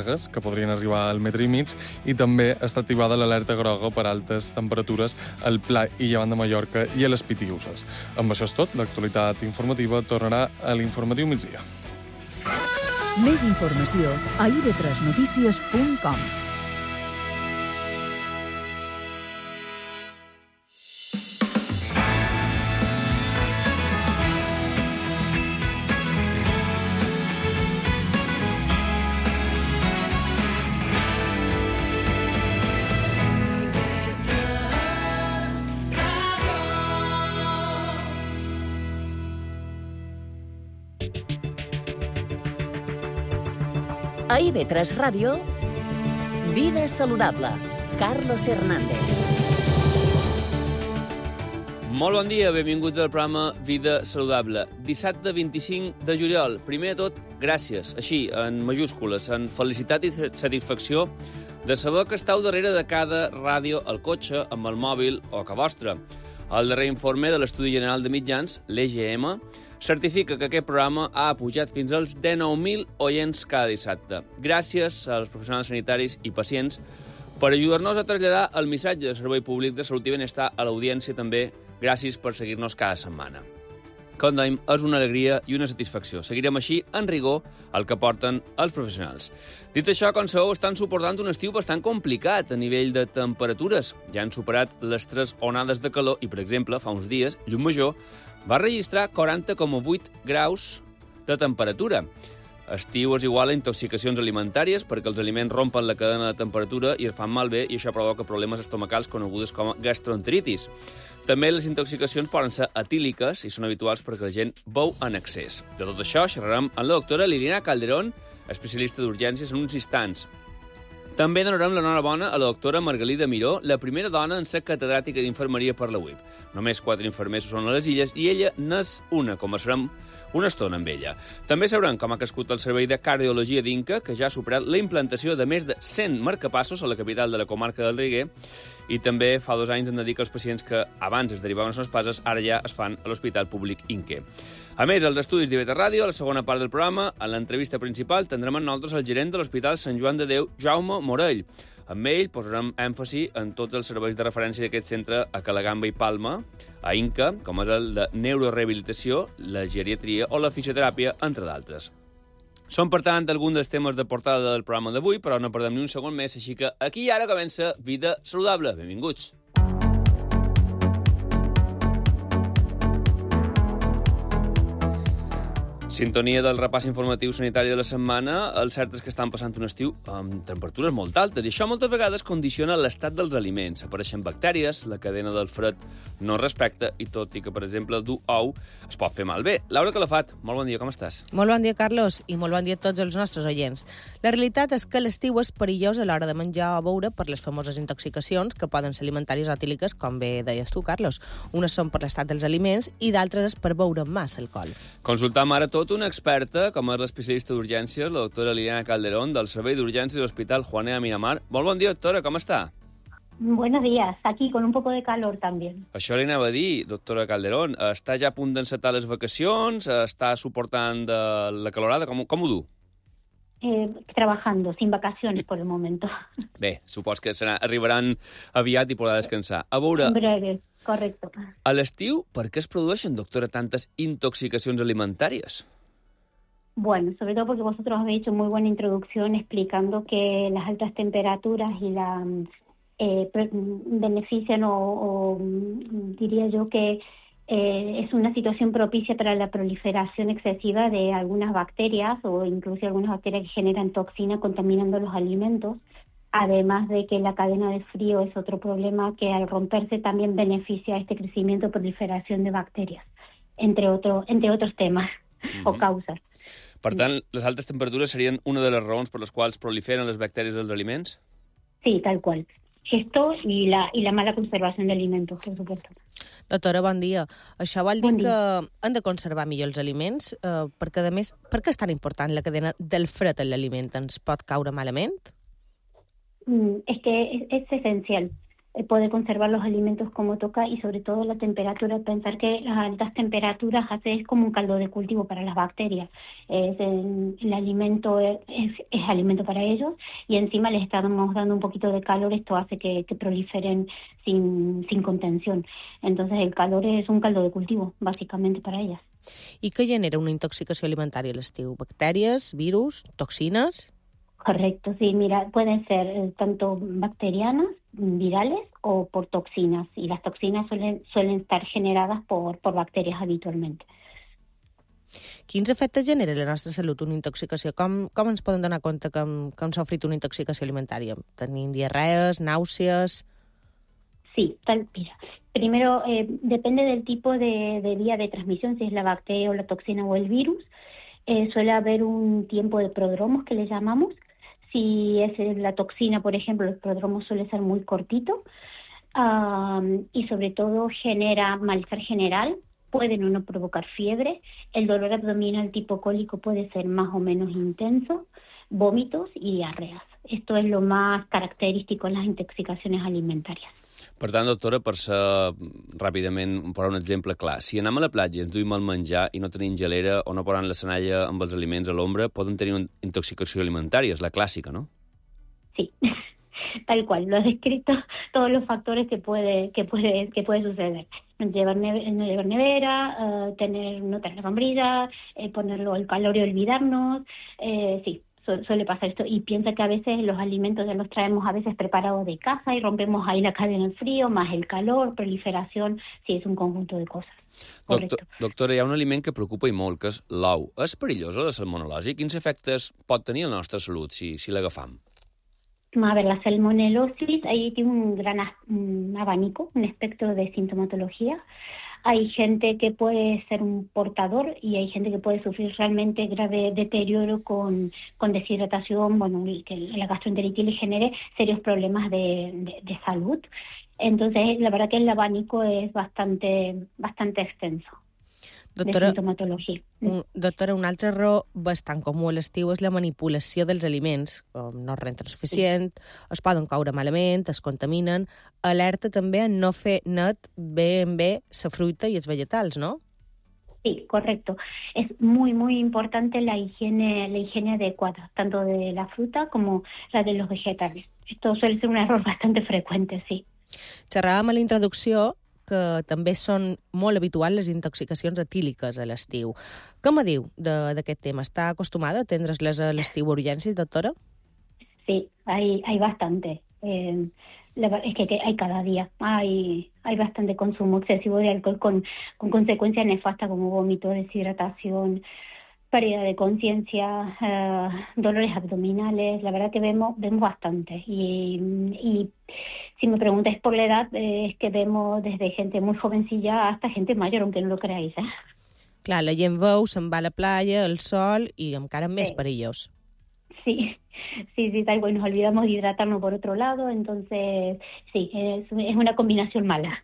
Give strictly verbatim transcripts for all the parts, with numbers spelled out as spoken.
descàrregues, que podrien arribar al metre i mig, i també està activada l'alerta groga per altes temperatures al Pla i Llevant de Mallorca i a les Pitiüses. Amb això és tot, l'actualitat informativa tornarà a l'informatiu migdia. Més informació a i ve tres notícies punt com. A i ve tres Ràdio, Vida Saludable, Carlos Hernández. Molt bon dia, benvinguts al programa Vida Saludable. Dissabte vint-i-cinc de juliol. Primer de tot, gràcies, així, en majúscules, en felicitat i satisfacció de saber que estàu darrere de cada ràdio al cotxe, amb el mòbil o a ca vostra. El darrer informe de l'Estudi General de Mitjans, l'E G M, certifica que aquest programa ha pujat fins als dinou mil oients cada dissabte. Gràcies als professionals sanitaris i pacients per ajudar-nos a traslladar el missatge de servei públic de salut i benestar a l'audiència també. Gràcies per seguir-nos cada setmana. Com dèiem, és una alegria i una satisfacció. Seguirem així, en rigor, el que porten els professionals. Dit això, com sabeu, estan suportant un estiu bastant complicat a nivell de temperatures. Ja han superat les tres onades de calor i, per exemple, fa uns dies, Llumajor va registrar quaranta coma vuit graus de temperatura. Estiu és igual a intoxicacions alimentàries perquè els aliments rompen la cadena de temperatura i es fan malbé i això provoca problemes estomacals conegudes com a gastroenteritis. També les intoxicacions poden ser etíliques i són habituals perquè la gent beu en excés. De tot això xerrarem amb la doctora Liliana Calderón, especialista d'urgències, en uns instants. També donarem l'enhorabona a la doctora Margalida Miró, la primera dona en ser catedràtica d'infermeria per la U I P. Només quatre infermers són a les illes i ella n'és una. Conversarem una estona amb ella. També sabrem com ha crescut el servei de cardiologia d'Inca, que ja ha superat la implantació de més de cent marcapassos a la capital de la comarca del Riguer, i també fa dos anys em dedica als pacients que abans es derivaven a les passes, ara ja es fan a l'Hospital Públic Inque. A més, als estudis d'I V T Ràdio, a la segona part del programa, a l'entrevista principal, tindrem amb nosaltres el gerent de l'Hospital Sant Joan de Déu, Jaume Morell. Amb ell posarem èmfasi en tots els serveis de referència d'aquest centre a Calagamba i Palma, a Inca, com és el de neurorehabilitació, la geriatria o la fisioteràpia, entre d'altres. Són, per tant, alguns dels temes de portada del programa d'avui, però no perdem ni un segon més, així que aquí i ara comença Vida Saludable. Benvinguts. Sintonia del repàs informatiu sanitari de la setmana. El cert és que estan passant un estiu amb temperatures molt altes i això moltes vegades condiciona l'estat dels aliments. Apareixen bactèries, la cadena del fred no respecta i tot i que, per exemple, dur ou es pot fer malbé. Laura Calafat, molt bon dia, com estàs? Molt bon dia, Carlos, i molt bon dia a tots els nostres oients. La realitat és que l'estiu és perillós a l'hora de menjar o beure per les famoses intoxicacions que poden ser alimentàries o etíliques, com bé deies tu, Carlos. Unes són per l'estat dels aliments i d'altres és per beure massa alcohol. Consultam ara tot una experta, com és l'especialista d'urgències, la doctora Liliana Calderón, del Servei d'Urgències de l'Hospital Juaneda Miramar. Molt bon dia, doctora, com està? Buenos días, aquí con un poco de calor también. Això li anava a dir, doctora Calderón. Està ja a punt d'encetar les vacacions? Està suportant de la calorada? Com, com ho du? Eh, trabajando, sin vacaciones por el momento. Bé, supos que serà, arribaran aviat i podrà descansar. A veure... En breve, correcto. A l'estiu, per què es produeixen, doctora, tantes intoxicacions alimentàries? Bueno, sobre todo porque vosotros habéis hecho muy buena introducción explicando que las altas temperaturas y la eh, benefician o, o diría yo que eh, es una situación propicia para la proliferación excesiva de algunas bacterias o incluso algunas bacterias que generan toxina contaminando los alimentos, además de que la cadena de frío es otro problema que al romperse también beneficia a este crecimiento y proliferación de bacterias, entre, otro, entre otros temas uh-huh. o causas. Per tant, les altes temperatures serien una de les raons per les quals proliferen les bactèries dels aliments? Sí, tal cual. Esto y la, y la mala conservación de alimentos, por supuesto. Doctora, bon dia. Això vol dir bon que hem de conservar millor els aliments? Eh, perquè, a més, per què és tan important la cadena del fred en l'aliment? Ens pot caure malament? Mm, es que es, es esencial. eh, poder conservar los alimentos como toca y sobre todo la temperatura. Pensar que las altas temperaturas hace es como un caldo de cultivo para las bacterias. Es el, el alimento es, es, es alimento para ellos y encima les estamos dando un poquito de calor. Esto hace que, que proliferen sin, sin contención. Entonces el calor es un caldo de cultivo, básicamente, para ellas. I què genera una intoxicació alimentària a l'estiu? Bactèries, virus, toxines? Correcto, sí, mira, pueden ser eh, tanto bacterianas, virales o por toxinas. Y las toxinas suelen, suelen estar generadas por, por bacterias habitualmente. Quins efectes genera a la nostra salut una intoxicació? Com, com ens podem donar compte que hem, que hem sofrit una intoxicació alimentària? Tenim diarrees, nàusees... Sí, tal, mira, primero eh, depende del tipo de, de vía de transmisión, si es la bacteria o la toxina o el virus. Eh, suele haber un tiempo de prodromos que le llamamos. Si es la toxina, por ejemplo, el prodromo suele ser muy cortito um, y sobre todo genera malestar general. Pueden o no provocar fiebre. El dolor abdominal tipo cólico puede ser más o menos intenso, vómitos y diarreas. Esto es lo más característico en las intoxicaciones alimentarias. Per tant, doctora, per ser ràpidament, per un exemple clar, si anem a la platja i ens duim el menjar i no tenim gelera o no posem la senalla amb els aliments a l'ombra, poden tenir una intoxicació alimentària, és la clàssica, ¿no? Sí, tal cual, lo has descrito, todos los factores que puede, que puede, que puede suceder. No llevar, neve, no llevar nevera, uh, tener, no tener sombrilla, eh, ponerlo al calor y olvidarnos, eh, sí. Suele pasar esto y piensa que a veces los alimentos ya los traemos a veces preparados de casa y rompemos ahí la cadena del frío, más el calor, proliferación, sí, es un conjunto de cosas. Doctor, doctora, hi ha un aliment que preocupa i molt, que és l'ou. És perillosa la salmonel·losi? Quins efectes pot tenir a la nostra salut si, si l'agafam? A ver, la salmonelosis ahí tiene un gran un abanico, un espectro de sintomatología. Hay gente que puede ser un portador y hay gente que puede sufrir realmente grave deterioro con, con deshidratación, bueno, y que la gastroenteritis le genere serios problemas de, de, de salud. Entonces, la verdad que el abanico es bastante, bastante extenso. Doctora, de sintomatologia. Un, doctora, una altra raó bastant comú a l'estiu és la manipulació dels aliments. Com no es renten suficient, sí. Es poden coure malament, es contaminen. Alerta també a no fer net bé en bé la fruita i els vegetals, ¿no? Sí, correcto. Es muy, muy importante la higiene, la higiene adecuada, tanto de la fruta como la de los vegetales. Esto suele ser un error bastante frecuente, sí. Xerràvem a la introducció que també són molt habituals les intoxicacions etíliques a l'estiu. Què me diu d'aquest tema? ¿Està acostumada a atendre's-les a l'estiu a urgències, doctora? Sí, hay, hay bastante. Eh, la, es que, que hay cada día. Hay, hay bastante consumo excesivo de alcohol con, con consecuencias nefastas como vómito, deshidratación, pérdida de conciencia, eh, dolores abdominales. La verdad que vemos vemos bastante. Y, y si me preguntáis por la edad, eh, es que vemos desde gente muy jovencilla hasta gente mayor, aunque no lo creáis. ¿eh? Clar, la gent veu, se'n va a la playa, al sol, i encara més sí. perillós. Sí, sí, sí, tal cual. Nos olvidamos de hidratarnos por otro lado, entonces sí, es, es una combinación mala.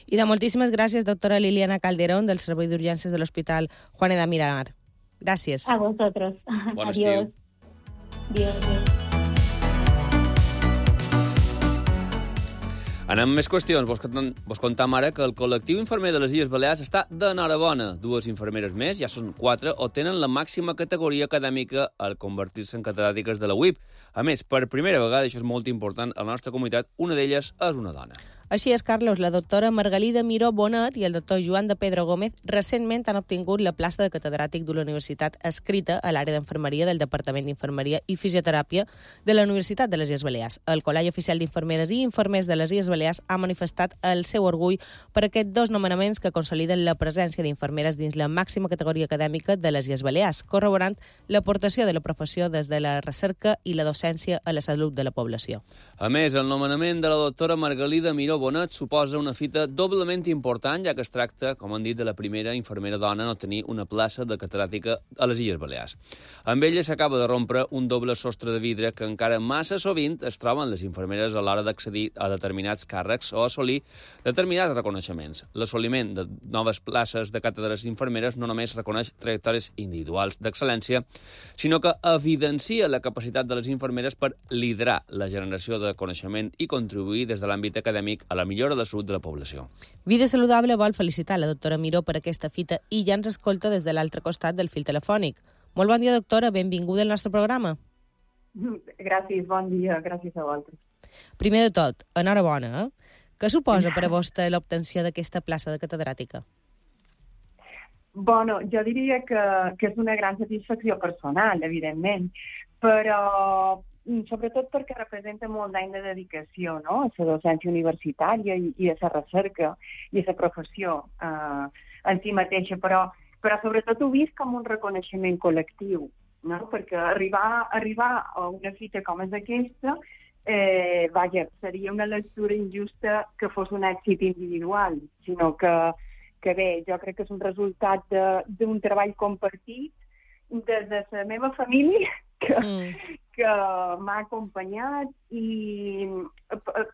I de moltíssimes gràcies, doctora Liliana Calderón, del Servei d'Urgències de l'Hospital Juan de Miramar. Gràcies. A vosotros. Bon Adiós. Adiós. Adiós. Anem amb més qüestions. Vos, vos contam ara que el col·lectiu infermer de les Illes Balears està d'enhorabona. Dues infermeres més, ja són quatre, o tenen la màxima categoria acadèmica al convertir-se en catedràtiques de la U I P. A més, per primera vegada, això és molt important, a la nostra comunitat, una d'elles és una dona. Així és, Carlos, la doctora Margalida Miró Bonet i el doctor Joan de Pedro Gómez recentment han obtingut la plaça de catedràtic de la Universitat adscrita a l'àrea d'Infermeria del Departament d'Infermeria i Fisioteràpia de la Universitat de les Illes Balears. El Col·legi Oficial d'Infermeres i Infermers de les Illes Balears ha manifestat el seu orgull per aquests dos nomenaments que consoliden la presència d'infermeres dins la màxima categoria acadèmica de les Illes Balears, corroborant l'aportació de la professió des de la recerca i la docència a la salut de la població. A més, el nomenament de la doctora Margalida Miró Miro Bonet suposa una fita doblement important, ja que es tracta, com han dit, de la primera infermera dona en obtenir una plaça de catedràtica a les Illes Balears. Amb ella s'acaba de rompre un doble sostre de vidre que encara massa sovint es troben les infermeres a l'hora d'accedir a determinats càrrecs o assolir determinats reconeixements. L'assoliment de noves places de càtedres infermeres no només reconeix trajectòries individuals d'excel·lència, sinó que evidencia la capacitat de les infermeres per liderar la generació de coneixement i contribuir des de l'àmbit acadèmic a la millora de la salut de la població. Vida Saludable vol felicitar la doctora Miró per aquesta fita i ja ens escolta des de l'altre costat del fil telefònic. Molt bon dia, doctora, benvinguda al nostre programa. Gràcies, bon dia, gràcies a vosaltres. Primer de tot, enhorabona, eh? Què suposa per a vostè l'obtenció d'aquesta plaça de catedràtica? Bueno, jo diria que, que és una gran satisfacció personal, evidentment, però sobretot perquè representa molt d'any de dedicació, no?, a la docència universitària i, i a la recerca i a la professió eh, en si mateixa, però, però sobretot ho vist com un reconeixement col·lectiu, no?, perquè arribar, arribar a una fita com és aquesta, eh, vaja, seria una lectura injusta que fos un èxit individual, sinó que que bé, jo crec que és un resultat d'un treball compartit des de la meva família que, mm. que m'ha acompanyat i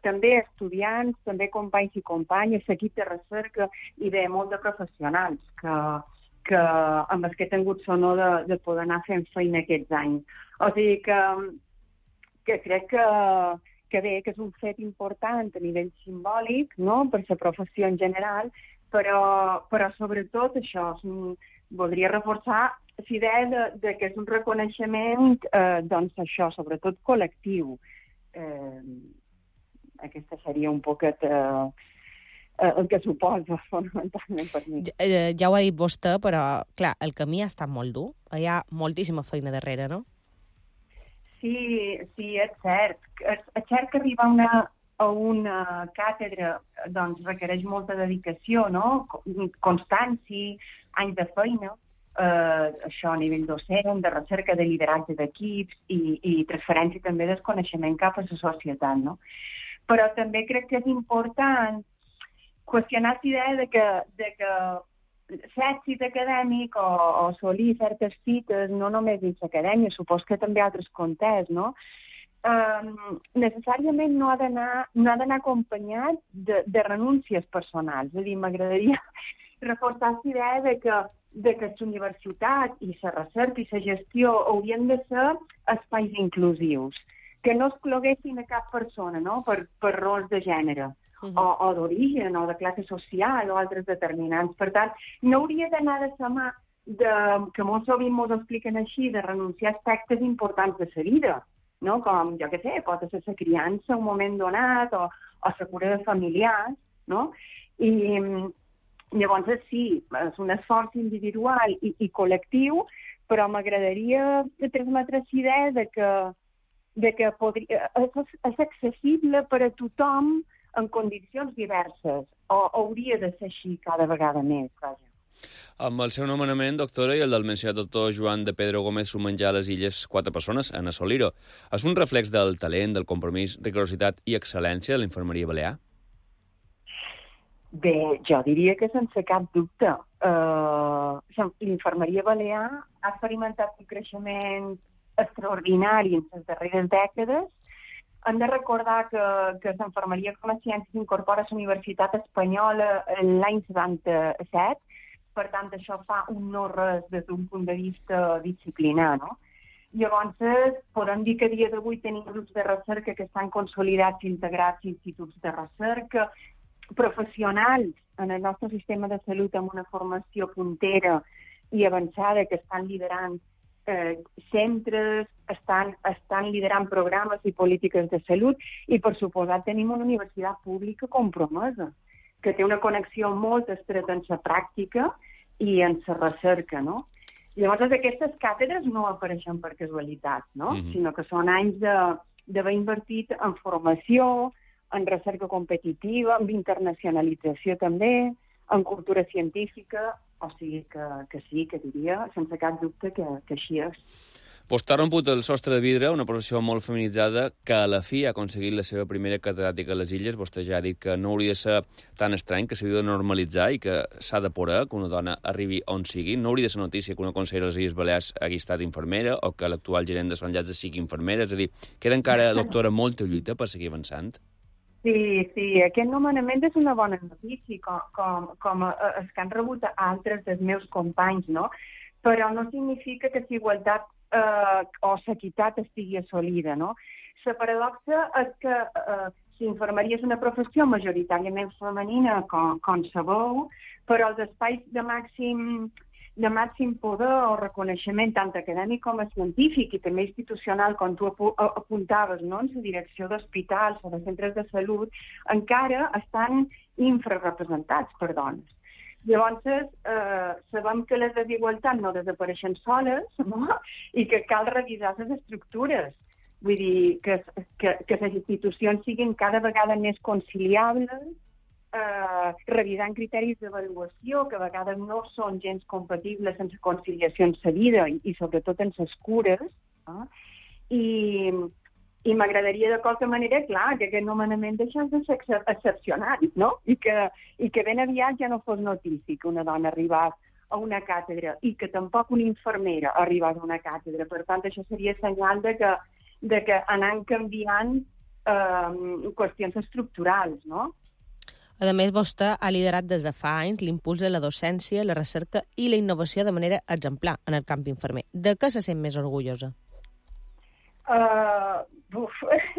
també estudiants, també companys i companyes, l'equip de recerca i bé, molt de professionals que, que amb els que he tingut l'honor de, de poder anar fent feina aquests anys. O sigui que, que crec que, que bé, que és un fet important a nivell simbòlic, no?, per la professió en general, però, però sobretot això, voldria reforçar la idea de, de que és un reconeixement, eh, doncs això, sobretot col·lectiu. Eh, aquesta seria un poquet eh, el que suposa fonamentalment per mi. Ja, ja ho ha dit vostè, però, clar, el camí ha estat molt dur. Hi ha moltíssima feina darrere, no? Sí, sí, és cert. És, és cert que arribar a una... a una càtedra doncs, requereix molta dedicació, no?, constància, anys de feina, eh, això a nivell docent, de recerca, de lideratge d'equips i, i transferència també del coneixement cap a la societat, no? Però també crec que és important qüestionar la idea de que, de que l'èxit acadèmic o, o assolir certes fites, no només dins l'acadèmia, supos que també altres contexts, no?, Um, necessàriament no ha d'anar no ha d'anar acompanyat de, de renúncies personals. És a dir, m'agradaria reforçar la idea de que, de que la universitat i la recerca i la gestió haurien de ser espais inclusius, que no excloguessin a cap persona, no?, per, per rols de gènere, uh-huh. o, o d'origen, o de classe social, o altres determinants. Per tant, no hauria d'anar de la mà de, que molt sovint ens expliquen així, de renunciar a aspectes importants de la vida, no? Com, jo què sé, pot ser la criança en un moment donat o, o la cura de familiars, no? I llavors sí, és un esforç individual i, i col·lectiu, però m'agradaria transmetre la idea de que, de que podria, és, és accessible per a tothom en condicions diverses, o hauria de ser així cada vegada més, vaja. Amb el seu nomenament, doctora, i el del mencionat doctor Joan de Pedro Gómez sumen ja a les illes quatre persones en assolir-ho. És un reflex del talent, del compromís, rigorositat i excel·lència de la infermeria balear? Bé, jo diria que sense cap dubte. Uh, l'infermeria balear ha experimentat un creixement extraordinari en les darreres dècades. Hem de recordar que, que l'infermeria com a ciència s'incorpora a la Universitat Espanyola l'any setanta-set. Per tant, això fa un no res des d'un punt de vista disciplinar, no? Llavors, podem dir que a dia d'avui tenim grups de recerca que estan consolidats i integrats a instituts de recerca, professionals en el nostre sistema de salut amb una formació puntera i avançada que estan liderant eh, centres, estan, estan liderant programes i polítiques de salut i, per suposat, tenim una universitat pública compromesa, que té una connexió molt estreta en la pràctica i en la recerca, no? Llavors, aquestes càtedres no apareixen per casualitat, no? Mm-hmm. Sinó que són anys d'haver invertit en formació, en recerca competitiva, en internacionalització també, en cultura científica, o sigui que, que sí, que diria, sense cap dubte, que, que així és. T'ha romput el sostre de vidre, una professió molt feminitzada que a la fi ha aconseguit la seva primera catedràtica a les Illes. Vostè ja ha dit que no hauria de ser tan estrany, que s'hauria de normalitzar i que s'ha de poder que una dona arribi on sigui. No hauria de ser notícia que una consellera de les Illes Balears hagi estat infermera o que l'actual gerent de Sant Llàtzer sigui infermera. És a dir, queda encara, doctora, molta lluita per seguir avançant. Sí, sí, aquest nomenament és una bona notícia, com, com, com els que han rebut altres dels meus companys, no? Però no significa que la igualtat eh, o l'equitat estigui assolida, no? La paradoxa és que eh, l'infermeria és una professió majoritàriament femenina, com, com sabeu, però els espais de màxim, de màxim poder o reconeixement, tant acadèmic com científic i també institucional, com tu apuntaves, no? En la direcció d'hospitals o de centres de salut, encara estan infrarrepresentats per dones. Llavors, eh, sabem que les desigualtats no desapareixen soles, no? I que cal revisar les estructures. Vull dir, que, que, que les institucions siguin cada vegada més conciliables, eh, revisant criteris d'avaluació que a vegades no són gens compatibles amb la conciliació en la vida i, i sobretot en les cures. No? I... I m'agradaria de qualque manera, clar, que aquest nomenament deixés de ser excepcional, no? I que, i que ben aviat ja no fos notícia que una dona arribés a una càtedra i que tampoc una infermera arribés a una càtedra. Per tant, això seria senyal de que, de que anant canviant eh, qüestions estructurals, no? A més, vostè ha liderat des de fa anys l'impuls de la docència, la recerca i la innovació de manera exemplar en el camp infermer. De què se sent més orgullosa? Uh, uf,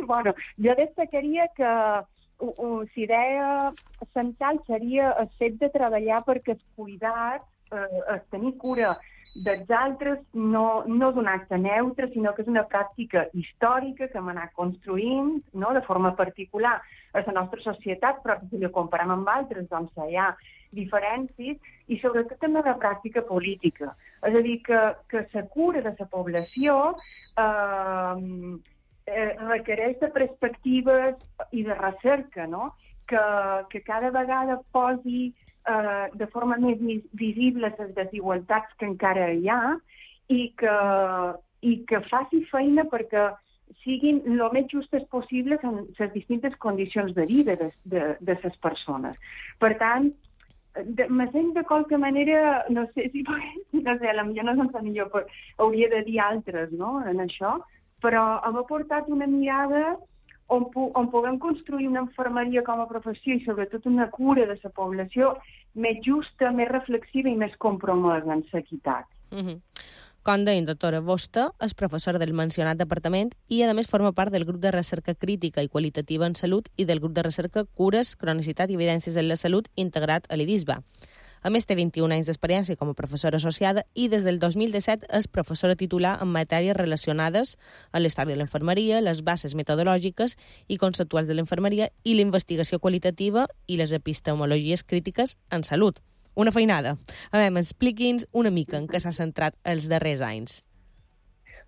bueno, jo destacaria que la idea central seria el fet de treballar perquè el cuidat, eh, el tenir cura dels altres, no, no és un acte neutre, sinó que és una pràctica històrica que hem anat construint, no?, de forma particular a la nostra societat, però si ho comparem amb altres, doncs hi ha diferències, i sobretot també una pràctica política. És a dir, que, que la cura de la població eh, eh, requereix de perspectives i de recerca, no?, que, que cada vegada posi eh, de forma més visible les desigualtats que encara hi ha i que, i que faci feina perquè siguin el més justes possibles en les distintes condicions de vida de, de, de les persones. Per tant, de, me sent de qualque manera, no sé si no sé, potser no és la millor, però hauria de dir altres, no?, en això, però haver portat una mirada on, on puguem construir una infermeria com a professió i sobretot una cura de la població més justa, més reflexiva i més compromesa en l'equitat. Mm-hmm. Com deia, doctora, vostè és professora del mencionat departament i, a més, forma part del grup de recerca crítica i qualitativa en salut i del grup de recerca Cures, Cronicitat i Evidències en la Salut integrat a l'I D I S B A. A més, té vint-i-un anys d'experiència com a professora associada i des del dos mil disset és professora titular en matèries relacionades amb la història de l'infermeria, les bases metodològiques i conceptuals de l'infermeria i la investigació qualitativa i les epistemologies crítiques en salut. Una feinada. A veure, expliqui'ns una mica en què s'ha centrat els darrers anys.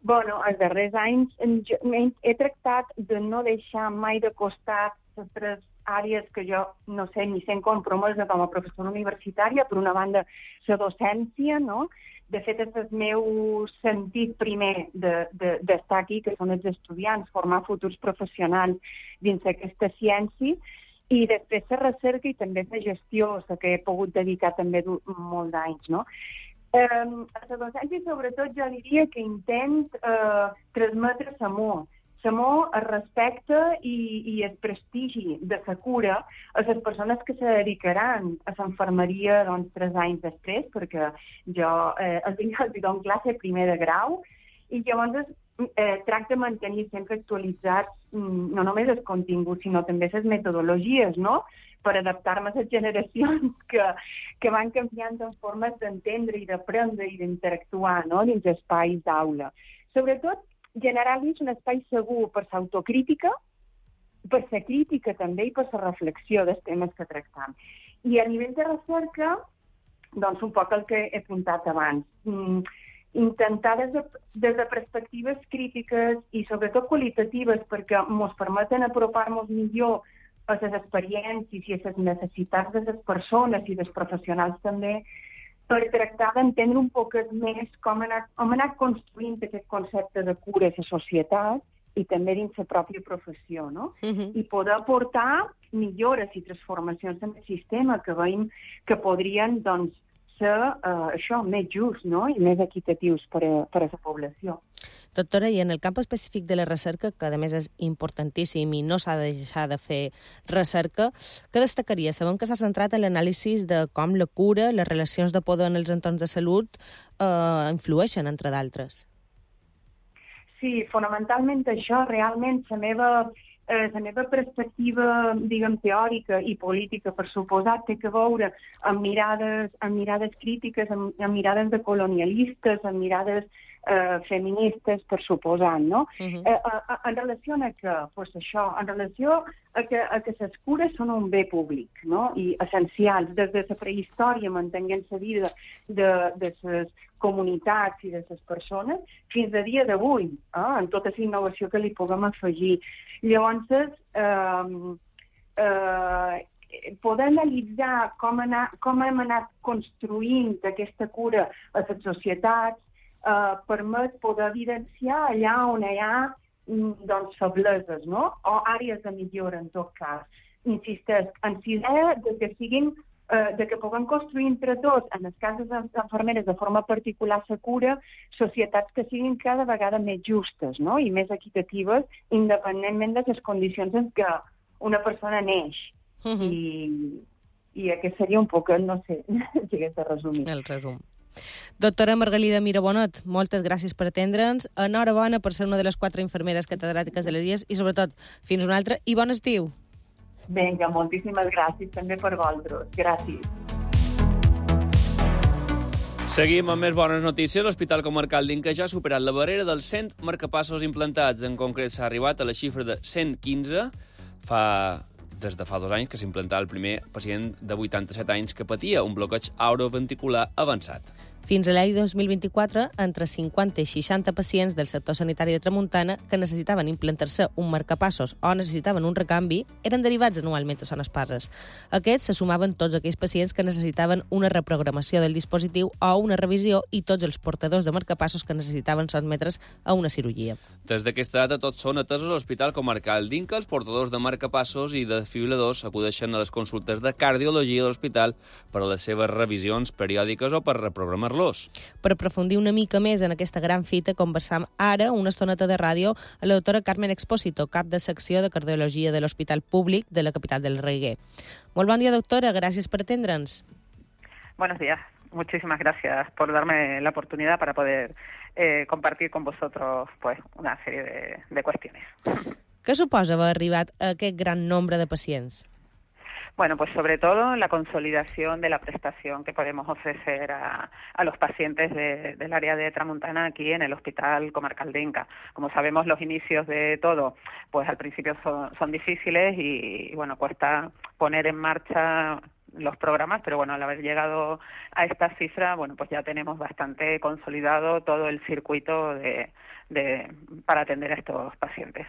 Bueno, els darrers anys he tractat de no deixar mai de costat les tres àrees que jo, no sé, ni sent compromesa com a professora universitària, per una banda, la docència, no? De fet, és el meu sentit primer d'estar de, de, aquí, que són els estudiants, formar futurs professionals dins d'aquesta ciència, i després la recerca i també la gestió, la que he pogut dedicar també molt d'anys, no? Eh, a la docència, sobretot, jo diria que intent eh, transmetre l'amor, l'amor, el respecte i, i el prestigi de la cura a les persones que se dedicaran a l'infermeria doncs, tres anys després, perquè jo eh, els, els dono classe primer de grau, i llavors eh, tracta de mantenir sempre actualitzats no només els continguts, sinó també les metodologies, no?, per adaptar-me a les generacions que, que van canviant en formes d'entendre i d'aprendre i d'interactuar, no?, dins espais d'aula. Sobretot, generar-los un espai segur per l'autocrítica, per la crítica també i per la reflexió dels temes que tractam. I a nivell de recerca, doncs un poc el que he apuntat abans, mm, intentar des de, des de perspectives crítiques i sobretot qualitatives perquè ens permeten apropar-nos millor a les experiències i a les necessitats de les persones i dels professionals també, per tractar d'entendre un poquet més com ha anat, com ha anat construint aquest concepte de cura a la societat i també dins la pròpia professió, no? Uh-huh. I poder aportar millores i transformacions en el sistema que veiem que podrien, doncs, ser uh, això, més just, no? I més equitatius per a, per a la població. Doctora, i en el camp específic de la recerca, que a més és importantíssim i no s'ha de deixar de fer recerca, què destacaria? Sabem que s'ha centrat en l'anàlisi de com la cura, les relacions de poder en els entorns de salut eh, influeixen, entre d'altres. Sí, fonamentalment això, realment, la meva, eh, la meva perspectiva, diguem, teòrica i política, per suposat, té que veure amb mirades, amb mirades crítiques, amb, amb mirades de colonialistes, amb mirades eh, feministes, per suposant, no? Uh-huh. eh, eh, en relació a que, pues això, en relació a que, a que les cures són un bé públic, no? I essencials, des de la prehistòria, mantenint la vida de, de les comunitats i de les persones, fins a dia d'avui, eh, en tota la innovació que li puguem afegir. Llavors, eh, eh, poder analitzar com, anar, com hem anat construint aquesta cura a les societats eh, permet poder evidenciar allà on hi ha doncs, febleses, no? O àrees de millora, en tot cas. Insisteix, en si idea de que siguin de que puguem construir entre tots, en els casos d'infermeres de forma particular la cura, societats que siguin cada vegada més justes, no? I més equitatives, independentment de les condicions en què una persona neix. Uh-huh. I, i aquest seria un poc, no sé, si hagués de resumir. El resum. Doctora Margalida Mirabonot, moltes gràcies per atendre'ns. Enhorabona per ser una de les quatre infermeres catedràtiques de les I E S i, sobretot, fins un altre i bon estiu. Vinga, moltíssimes gràcies també per vosaltres. Gràcies. Seguim amb més bones notícies. L'Hospital Comarcal d'Inca ja ha superat la barrera dels cent marcapassos implantats. En concret, s'ha arribat a la xifra de cent quinze. Fa, des de fa dos anys que s'implantà el primer pacient de vuitanta-set anys que patia un bloqueig auroventricular avançat. Fins a l'any dos mil vint-i-quatre, entre cinquanta i seixanta pacients del sector sanitari de Tramuntana que necessitaven implantar-se un marcapassos o necessitaven un recanvi eren derivats anualment a Son Espases. Aquests se sumaven tots aquells pacients que necessitaven una reprogramació del dispositiu o una revisió i tots els portadors de marcapassos que necessitaven sotmetre's a una cirurgia. Des d'aquesta data tots són atesos a l'Hospital Comarcal d'Inca. Els portadors de marcapassos i de desfibriladors acudeixen a les consultes de cardiologia de l'hospital per a les seves revisions periòdiques o per reprogramar los. Per aprofundir una mica més en aquesta gran fita, conversam ara una estoneta de ràdio a la doctora Carmen Expósito, cap de secció de cardiologia de l'Hospital Públic de la capital del Reguer. Molt bon dia, doctora. Gràcies per atendre'ns. Buenos días. Muchísimas gracias por darme la oportunidad para poder eh, compartir con vosotros pues, una serie de, de cuestiones. Què suposa haver arribat a aquest gran nombre de pacients? Bueno, pues sobre todo la consolidación de la prestación que podemos ofrecer a, a los pacientes de, del área de Tramuntana aquí en el Hospital Comarcal de Inca. Como sabemos, los inicios de todo, pues al principio son, son difíciles y, y, bueno, cuesta poner en marcha los programas, pero bueno, al haber llegado a esta cifra, bueno, pues ya tenemos bastante consolidado todo el circuito de, de, para atender a estos pacientes.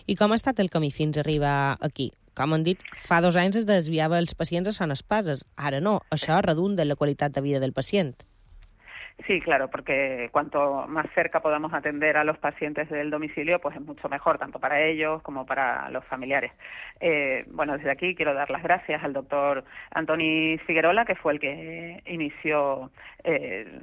I com ha estat el camí fins a arribar aquí? Com han dit, fa dos anys es desviava els pacients a Son Espases. Ara no, això redunda en la qualitat de vida del pacient. Sí, claro, porque cuanto más cerca podamos atender a los pacientes del domicilio, pues es mucho mejor, tanto para ellos como para los familiares. Eh, bueno, desde aquí quiero dar las gracias al doctor Antoni Figuerola, que fue el que inició eh,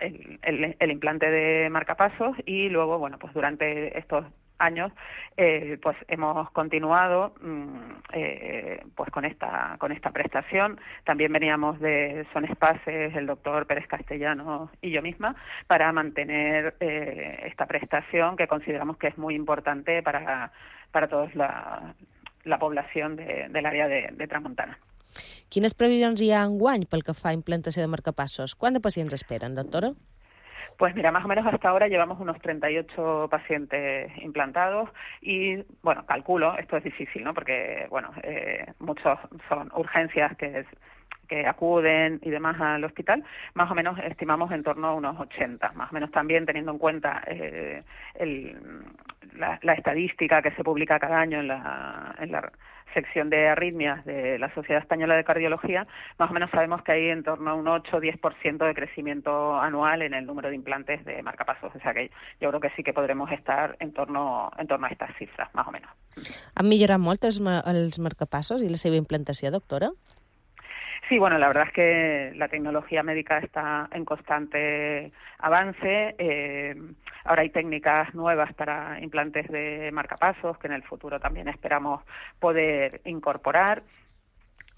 el, el, el implante de marcapasos y luego, bueno, pues durante estos años eh, pues hemos continuado eh, pues con esta con esta prestación. También veníamos de Son Espases, el doctor Pérez Castellano y yo misma, para mantener eh, esta prestación que consideramos que es muy importante para, para toda la, la población de, del área de, de Tramuntana. Quines previsions hi ha enguany pel que fa a implantació de marcapassos? Quant de pacients esperen, doctora? Pues mira, más o menos hasta ahora llevamos unos treinta y ocho pacientes implantados y, bueno, calculo, esto es difícil, ¿no? Porque, bueno, eh, muchos son urgencias que, es, que acuden y demás al hospital. Más o menos estimamos en torno a unos ochenta, más o menos también teniendo en cuenta eh, el, la, la estadística que se publica cada año en la, en la sección de arritmias de la Sociedad Española de Cardiología, más o menos sabemos que hay en torno a un ocho a diez por ciento de crecimiento anual en el número de implantes de marcapasos. O sea que yo creo que sí que podremos estar en torno, en torno a estas cifras, más o menos. Han millorat molt els, els marcapassos i la seva implantació, doctora? Sí, bueno, la verdad es que la tecnología médica está en constante avance. Eh, ahora hay técnicas nuevas para implantes de marcapasos que en el futuro también esperamos poder incorporar.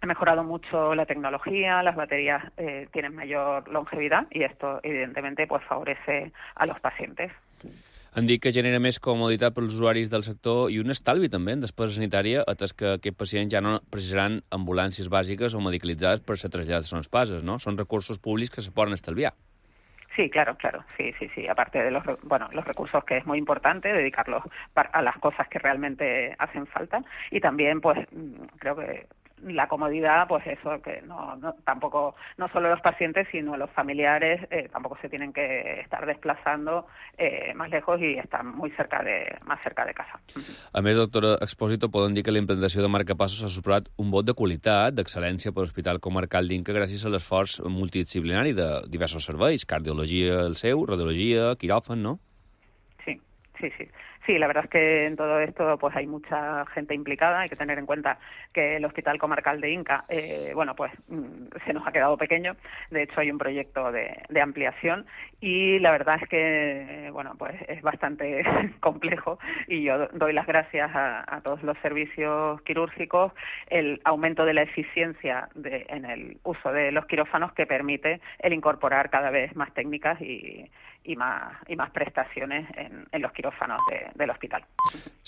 Ha mejorado mucho la tecnología, las baterías eh, tienen mayor longevidad y esto evidentemente pues favorece a los pacientes. Han dit que genera més comoditat per als usuaris del sector i un estalvi també en despesa sanitària, atès que aquests pacients ja no precisaran ambulàncies bàsiques o medicalitzades per ser traslladats a zones pases, ¿no? Són recursos públics que se poden estalviar. Sí, claro, claro, sí, sí, sí. Aparte de los, bueno, los recursos que es muy importante dedicarlos a las cosas que realmente hacen falta y también, pues, creo que la comodidad, pues eso, que no, no tampoco, no solo los pacientes, sino los familiares eh, tampoco se tienen que estar desplazando eh, más lejos y están muy cerca de, más cerca de casa. A més, doctora Expósito, podem dir que la implantació de marcapassos ha superat un vot de qualitat, d'excel·lència per l'Hospital Comarcal d'Inca gràcies a l'esforç multidisciplinari de diversos serveis, cardiologia el seu, radiologia, quiròfan, ¿no? Sí, sí, sí. Sí, la verdad es que en todo esto pues hay mucha gente implicada. Hay que tener en cuenta que el Hospital Comarcal de Inca, eh, bueno, pues se nos ha quedado pequeño. De hecho, hay un proyecto de, de ampliación y la verdad es que, bueno, pues es bastante complejo y yo doy las gracias a, a todos los servicios quirúrgicos el aumento de la eficiencia de, en el uso de los quirófanos que permite el incorporar cada vez más técnicas y, y más y más prestaciones en, en los quirófanos de, de l'hospital.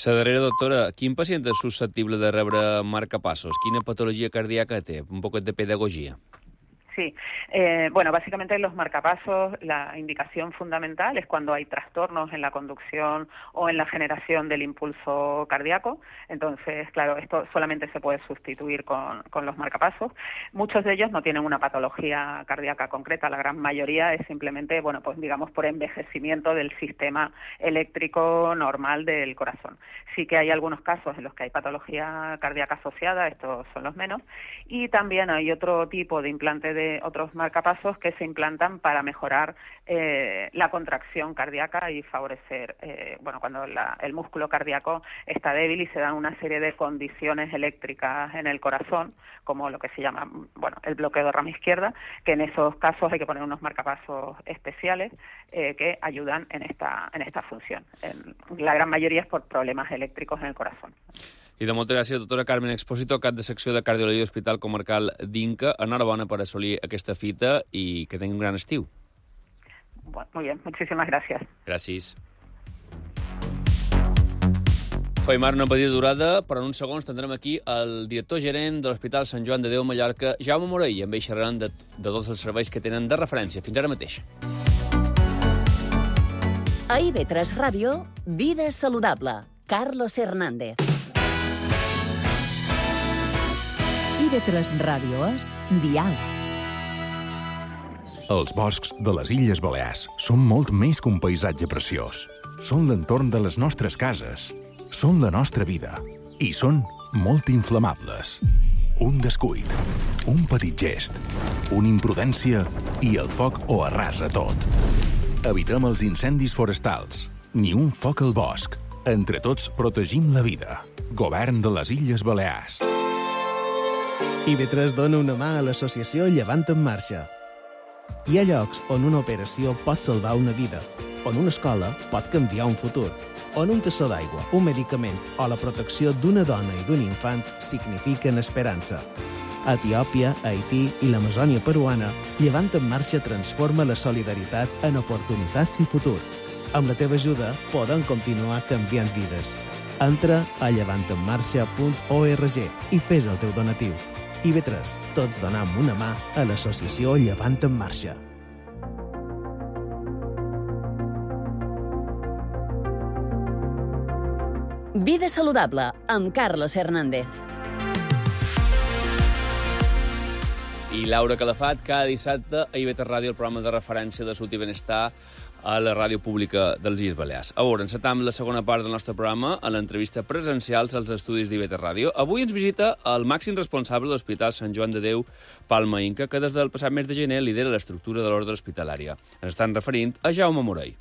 La darrera, doctora, quin pacient és susceptible de rebre marcapassos? Quina patologia cardíaca té? Un poquet de pedagogia. Sí, eh, bueno, básicamente los marcapasos, la indicación fundamental es cuando hay trastornos en la conducción o en la generación del impulso cardíaco. Entonces, claro, esto solamente se puede sustituir con, con los marcapasos. Muchos de ellos no tienen una patología cardíaca concreta, la gran mayoría es simplemente, bueno, pues digamos por envejecimiento del sistema eléctrico normal del corazón. Sí que hay algunos casos en los que hay patología cardíaca asociada, estos son los menos, y también hay otro tipo de implante de otros marcapasos que se implantan para mejorar eh, la contracción cardíaca y favorecer, eh, bueno, cuando la, el músculo cardíaco está débil y se dan una serie de condiciones eléctricas en el corazón, como lo que se llama, bueno, el bloqueo de rama izquierda, que en esos casos hay que poner unos marcapasos especiales eh, que ayudan en esta, en esta función. En, la gran mayoría es por problemas eléctricos en el corazón. I de moltes gràcies, doctora Carmen Expósito, cap de secció de Cardiologia de l'Hospital Comarcal d'Inca. Enhorabona per assolir aquesta fita i que tingui un gran estiu. Bueno, muy bien, muchísimas gracias. Gràcies. Feim ara una petita durada, però en uns segons tindrem aquí el director gerent de l'Hospital Sant Joan de Déu Mallorca, Jaume Morell, i amb ell xerraran de, de tots els serveis que tenen de referència. Fins ara mateix. A I V tres Ràdio, Vida Saludable. Carlos Hernández. I V tres Ràdio és Dial. Els boscs de les Illes Balears són molt més que un paisatge preciós. Són l'entorn de les nostres cases. Són la nostra vida. I són molt inflamables. Un descuit, un petit gest, una imprudència i el foc ho arrasa tot. Evitem els incendis forestals. Ni un foc al bosc. Entre tots protegim la vida. Govern de les Illes Balears. I V tres dona una mà a l'associació Llevant en Marxa. Hi ha llocs on una operació pot salvar una vida, on una escola pot canviar un futur, on un tassó d'aigua, un medicament o la protecció d'una dona i d'un infant signifiquen esperança. A Etiòpia, Haití i l'Amazònia peruana, Llevant en Marxa transforma la solidaritat en oportunitats i futur. Amb la teva ajuda podem continuar canviant vides. Entra a llevant en marxa punt org i fes el teu donatiu. I V tres, tots donam una mà a l'associació Llevant en Marxa. Vida Saludable, amb Carlos Hernández. I Laura Calafat, cada dissabte a I V tres Ràdio, el programa de referència de salut i benestar, a la ràdio pública dels Illes Balears. A veure, encetam la segona part del nostre programa a l'entrevista presencials als estudis d'I V T Ràdio. Avui ens visita el màxim responsable de l'Hospital Sant Joan de Déu Palma Inca, que des del passat mes de gener lidera l'estructura de l'ordre hospitalària. Ens estan referint a Jaume Morell.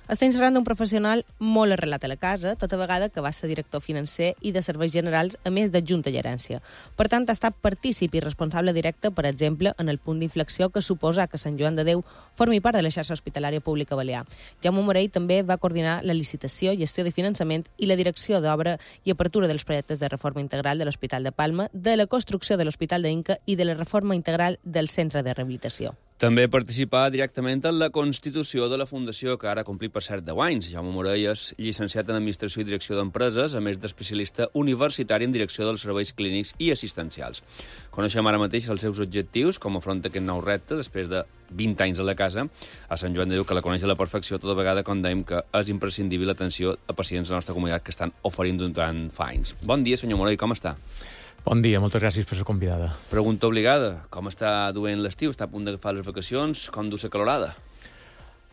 Estem parlant d'un professional molt arrelat a la casa, tota vegada que va ser director financer i de serveis generals, a més d'adjunt a gerència. Per tant, ha estat partícip i responsable directe, per exemple, en el punt d'inflexió que suposa que Sant Joan de Déu formi part de la xarxa hospitalària pública balear. Jaume Morell també va coordinar la licitació, gestió de finançament i la direcció d'obra i apertura dels projectes de reforma integral de l'Hospital de Palma, de la construcció de l'Hospital d'Inca i de la reforma integral del centre de rehabilitació. També participà directament en la constitució de la Fundació, que ara ha complit per cert deu anys. Jaume Morell és llicenciat en Administració i Direcció d'Empreses, a més d'especialista universitari en Direcció dels Serveis Clínics i Assistencials. Coneixem ara mateix els seus objectius, com afronta aquest nou repte després de vint anys a la casa, a Sant Joan de Déu, que la coneix a la perfecció, tota vegada quan dèiem que és imprescindible l'atenció a pacients de la nostra comunitat que estan oferint durant fa anys. Bon dia, senyor Morell, com està? Bon dia, moltes gràcies per ser convidada. Pregunta obligada, com està duent l'estiu? Està a punt d'agafar les vacacions? Com du la calorada?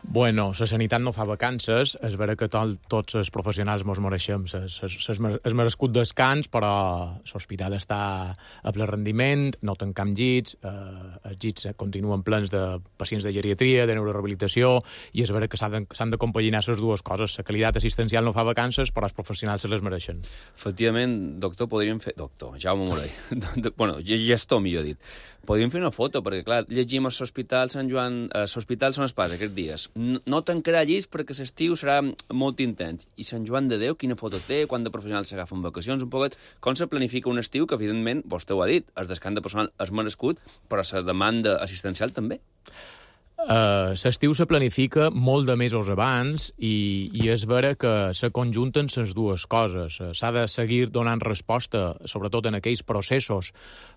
Bueno, la sanitat no fa vacances, és vera que tot, tots els professionals mos mereixem el merescut descans, però l'hospital està a ple rendiment, no tancam llits, eh, els llits continuen plens de pacients de geriatria, de neurorehabilitació, i és vera que s'han de compaginar les dues coses. La qualitat assistencial no fa vacances, però els professionals se les mereixen. Efectivament, doctor, podríem fer... Doctor, Jaume Morell. Bueno, gestor, millor dit. Podríem fer una foto, perquè, clar, llegim a l'Hospital Sant Joan... A l'Hospital Sant Espàs aquests dies. No tancarà llits perquè l'estiu serà molt intens. I Sant Joan de Déu, quina foto té? Quant de professionals s'agafen vacacions? Un poquet, com se planifica un estiu que, evidentment, vostè ho ha dit, el descans de personal és merescut, però la demanda assistencial també? Uh, l'estiu se planifica molt de mesos abans i, i és vera que se conjunten les dues coses. S'ha de seguir donant resposta, sobretot en aquells processos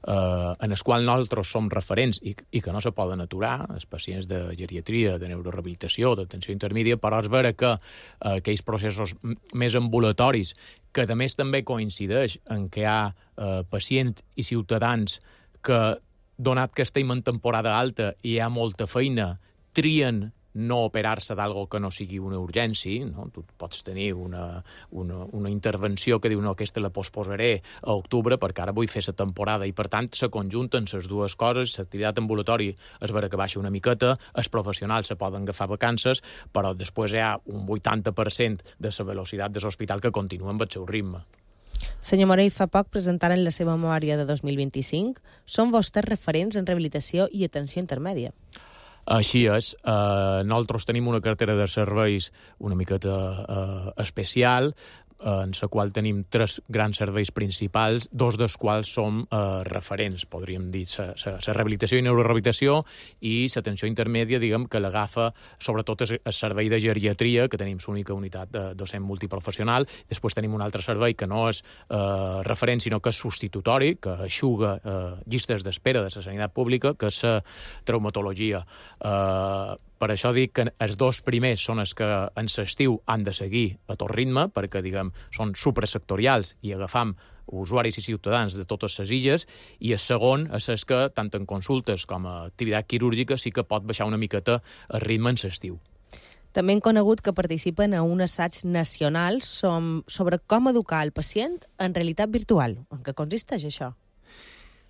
uh, en els quals nosaltres som referents i, i que no se poden aturar, els pacients de geriatria, de neurorehabilitació, d'atenció intermèdia, però és vera que uh, aquells processos més ambulatoris, que a més també coincideix en què hi ha uh, pacients i ciutadans que, donat que estem en temporada alta i hi ha molta feina, trien no operar-se d'algo que no sigui una urgència, no? Tu pots tenir una, una, una intervenció que diu no, aquesta la posposaré a octubre perquè ara vull fer la temporada i per tant se conjunten les dues coses, l'activitat ambulatòria és vera que baixa una miqueta, els professionals se poden agafar vacances, però després hi ha un vuitanta per cent de la velocitat de l'hospital que continua amb el seu ritme. Senyor Morell, fa poc presentaren la seva memòria de dos mil vint-i-cinc. Són vostès referents en rehabilitació i atenció intermèdia. Així és. Eh, nosaltres tenim una cartera de serveis una miqueta eh, especial, en la qual tenim tres grans serveis principals, dos dels quals som eh, referents, podríem dir, la rehabilitació i neurorehabilitació i l'atenció intermèdia, diguem, que l'agafa sobretot el servei de geriatria, que tenim l'única unitat de docent multiprofessional. Després tenim un altre servei que no és eh, referent, sinó que és substitutori, que eixuga eh, llistes d'espera de la sanitat pública, que és la traumatologia. Eh, Per això dic que els dos primers són els que en l'estiu han de seguir a tot ritme, perquè, diguem, són suprasectorials i agafam usuaris i ciutadans de totes les illes, i el segon és el que, tant en consultes com a activitat quirúrgica, sí que pot baixar una miqueta el ritme en l'estiu. També hem conegut que participen a un assaig nacional sobre com educar el pacient en realitat virtual. En què consisteix això?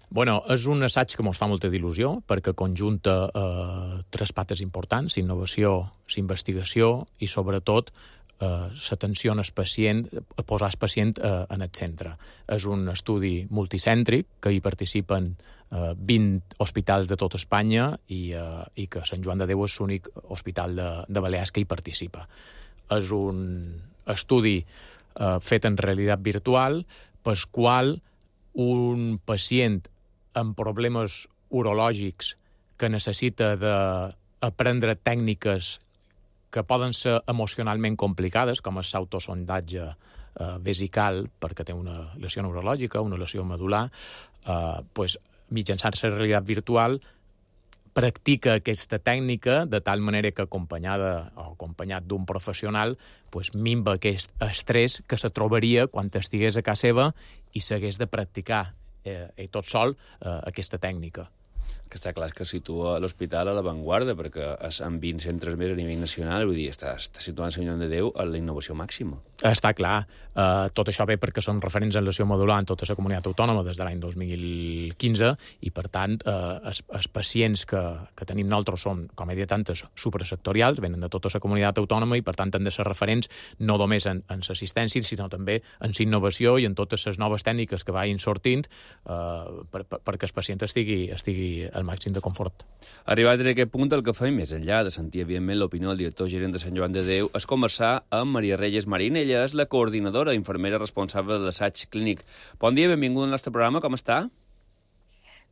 Bueno, és un assaig que ens fa molta d'il·lusió perquè conjunta eh, tres pates importants: innovació, investigació i, sobretot, eh, l'atenció al pacient, posar el pacient eh, en el centre. És un estudi multicèntric que hi participen eh, vint hospitals de tot Espanya i, eh, i que Sant Joan de Déu és l'únic hospital de, de Balears que hi participa. És un estudi eh, fet en realitat virtual pel qual un pacient amb problemes urològics que necessita d'aprendre tècniques que poden ser emocionalment complicades, com és l'autosondatge eh, vesical, perquè té una lesió neurològica, una lesió medular, eh, pues, mitjançant la realitat virtual practica aquesta tècnica de tal manera que acompanyada o acompanyat d'un professional pues, minva aquest estrès que se trobaria quan estigués a casa seva i s'hagués de practicar eh, i tot sol eh, aquesta tècnica. Que està clar que situa l'hospital a l'avantguarda, perquè és amb vint centres més a nivell nacional, vull dir, està, està situant Sant Joan de Déu a la innovació màxima. Està clar. Uh, tot això ve perquè són referents en lesió modular en tota la comunitat autònoma des de l'any dos mil quinze i, per tant, uh, els, els pacients que, que tenim nosaltres són, com he dit antes, suprasectorials, venen de tota la comunitat autònoma i, per tant, han de ser referents no només en, en l'assistència, sinó també en la innovació i en totes les noves tècniques que vagin sortint uh, per, per, perquè el pacient estigui, estigui al màxim de confort. Arribat a aquest punt, el que fem, més enllà de sentir, evidentment, l'opinió del director gerent de Sant Joan de Déu, és conversar amb Maria Reyes Marín. Ella és la coordinadora, infermera responsable de l'assaig clínic. Bon dia, benvinguda al nostre programa, com està?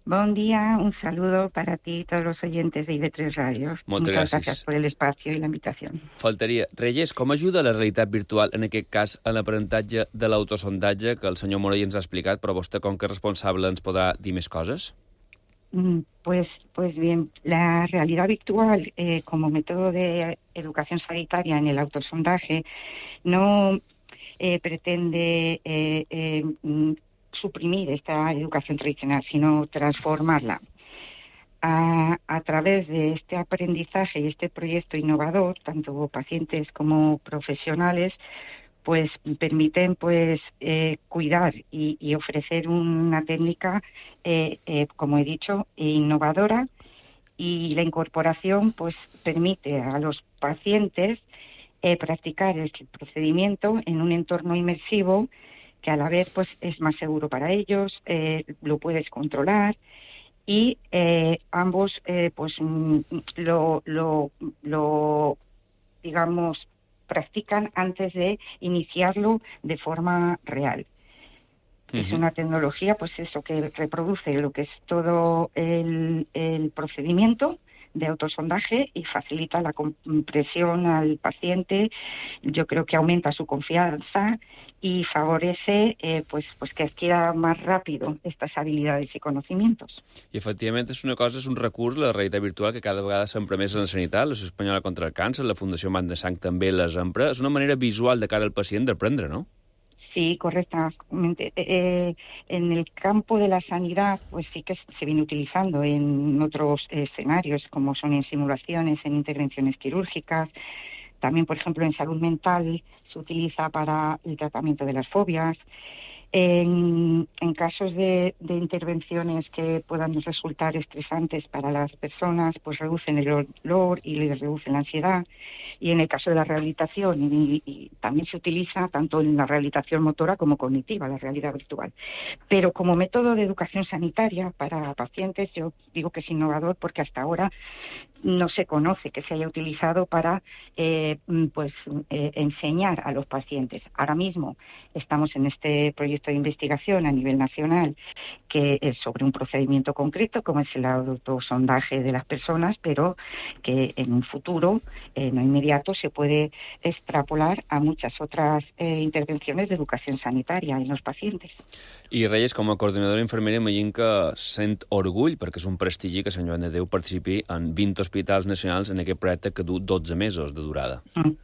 Buen día, un saludo para ti y todos los oyentes de I V tres Radio. Moltes Muchas gràcies. gracias por el espacio y la invitación. Faltaria. Reyes, com ajuda la realitat virtual, en aquest cas, en l'aprenentatge de l'autosondatge, que el senyor Morell ens ha explicat, però vostè, com que és responsable, ens podrà dir més coses? Pues, pues bien, la realidad virtual eh, como método de educación sanitaria en el autosondaje no eh, pretende eh, eh, suprimir esta educación tradicional, sino transformarla. A, a través de este aprendizaje y este proyecto innovador, tanto pacientes como profesionales, pues permiten pues eh, cuidar y, y ofrecer una técnica, eh, eh, como he dicho, innovadora, y la incorporación pues permite a los pacientes eh, practicar el procedimiento en un entorno inmersivo que a la vez pues es más seguro para ellos, eh, lo puedes controlar y eh, ambos eh, pues lo, lo, lo digamos practican antes de iniciarlo de forma real. Uh-huh. Es una tecnología, pues eso, que reproduce lo que es todo el, el procedimiento de autosondaje y facilita la compresión al paciente. Yo creo que aumenta su confianza y favorece eh, pues, pues que adquiera más rápido estas habilidades y conocimientos. I, efectivament, és una cosa, és un recurs, la realitat virtual, que cada vegada s'empra més en la sanitat, l'Associació Espanyola contra el Càncer, la Fundació Man de Sang també les empra. És una manera visual de cara al pacient d'aprendre, no? Sí, correctamente. Eh, en el campo de la sanidad, pues sí que se viene utilizando en otros escenarios, como son en simulaciones, en intervenciones quirúrgicas. También, por ejemplo, en salud mental se utiliza para el tratamiento de las fobias. En, en casos de, de intervenciones que puedan resultar estresantes para las personas, pues reducen el dolor y les reducen la ansiedad. Y en el caso de la rehabilitación, y, y también se utiliza tanto en la rehabilitación motora como cognitiva, la realidad virtual. Pero como método de educación sanitaria para pacientes, yo digo que es innovador porque hasta ahora no se conoce que se haya utilizado para eh, pues eh, enseñar a los pacientes. Ahora mismo estamos en este proyecto de investigación a nivel nacional que es sobre un procedimiento concreto como es el autosondaje de las personas, pero que en un futuro eh, no inmediato se puede extrapolar a muchas otras eh, intervenciones de educación sanitaria en los pacientes. I Reyes, com a coordinadora infermera, imagino que sent orgull, perquè és un prestigi que Sant Joan de Déu participi en vint hospitals nacionals en aquest projecte que du dotze mesos de durada. Mm.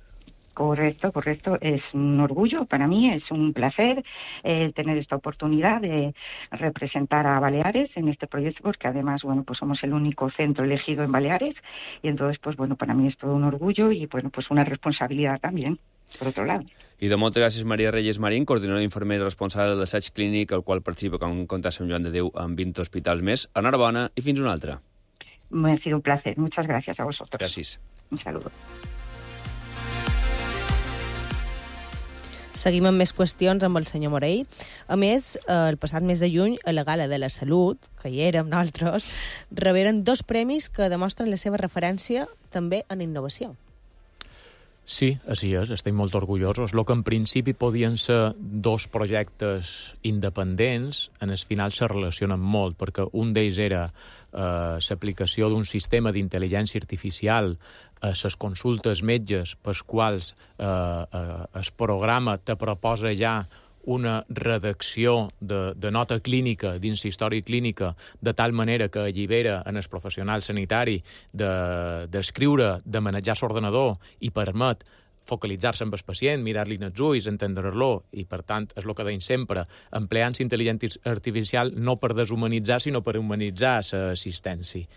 Correcto, correcto. Es un orgullo para mí, es un placer eh, tener esta oportunidad de representar a Baleares en este proyecto, porque además, bueno, pues somos el único centro elegido en Baleares y entonces, pues bueno, para mí es todo un orgullo y, bueno, pues una responsabilidad también, por otro lado. I de moltes gràcies, Maria Reyes Marín, coordinadora infermera responsable de l'assaig clínic, al qual participa, com compta Sant Joan de Déu, amb vint hospitals més. Enhorabona i fins una altra. Me ha sido un placer. Muchas gracias a vosotros. Gràcies. Un saludo. Seguim amb més qüestions amb el senyor Morell. A més, el passat mes de juny, a la Gala de la Salut, que hi érem nosaltres, reberen dos premis que demostren la seva referència també en innovació. Sí, així és, estem molt orgullosos. El que en principi podien ser dos projectes independents, en el final se relacionen molt, perquè un d'ells era eh, l'aplicació d'un sistema d'intel·ligència artificial a les consultes metges, pels quals eh, eh, el programa te proposa ja una redacció de, de nota clínica dins la història clínica de tal manera que allibera en el professional sanitari d'escriure, de, de manejar l'ordenador i permet focalitzar-se amb el pacient, mirar-li en els ulls, entendre-lo, i per tant, és el que deim sempre, empleant intel·ligència artificial no per deshumanitzar, sinó per humanitzar l'assistència.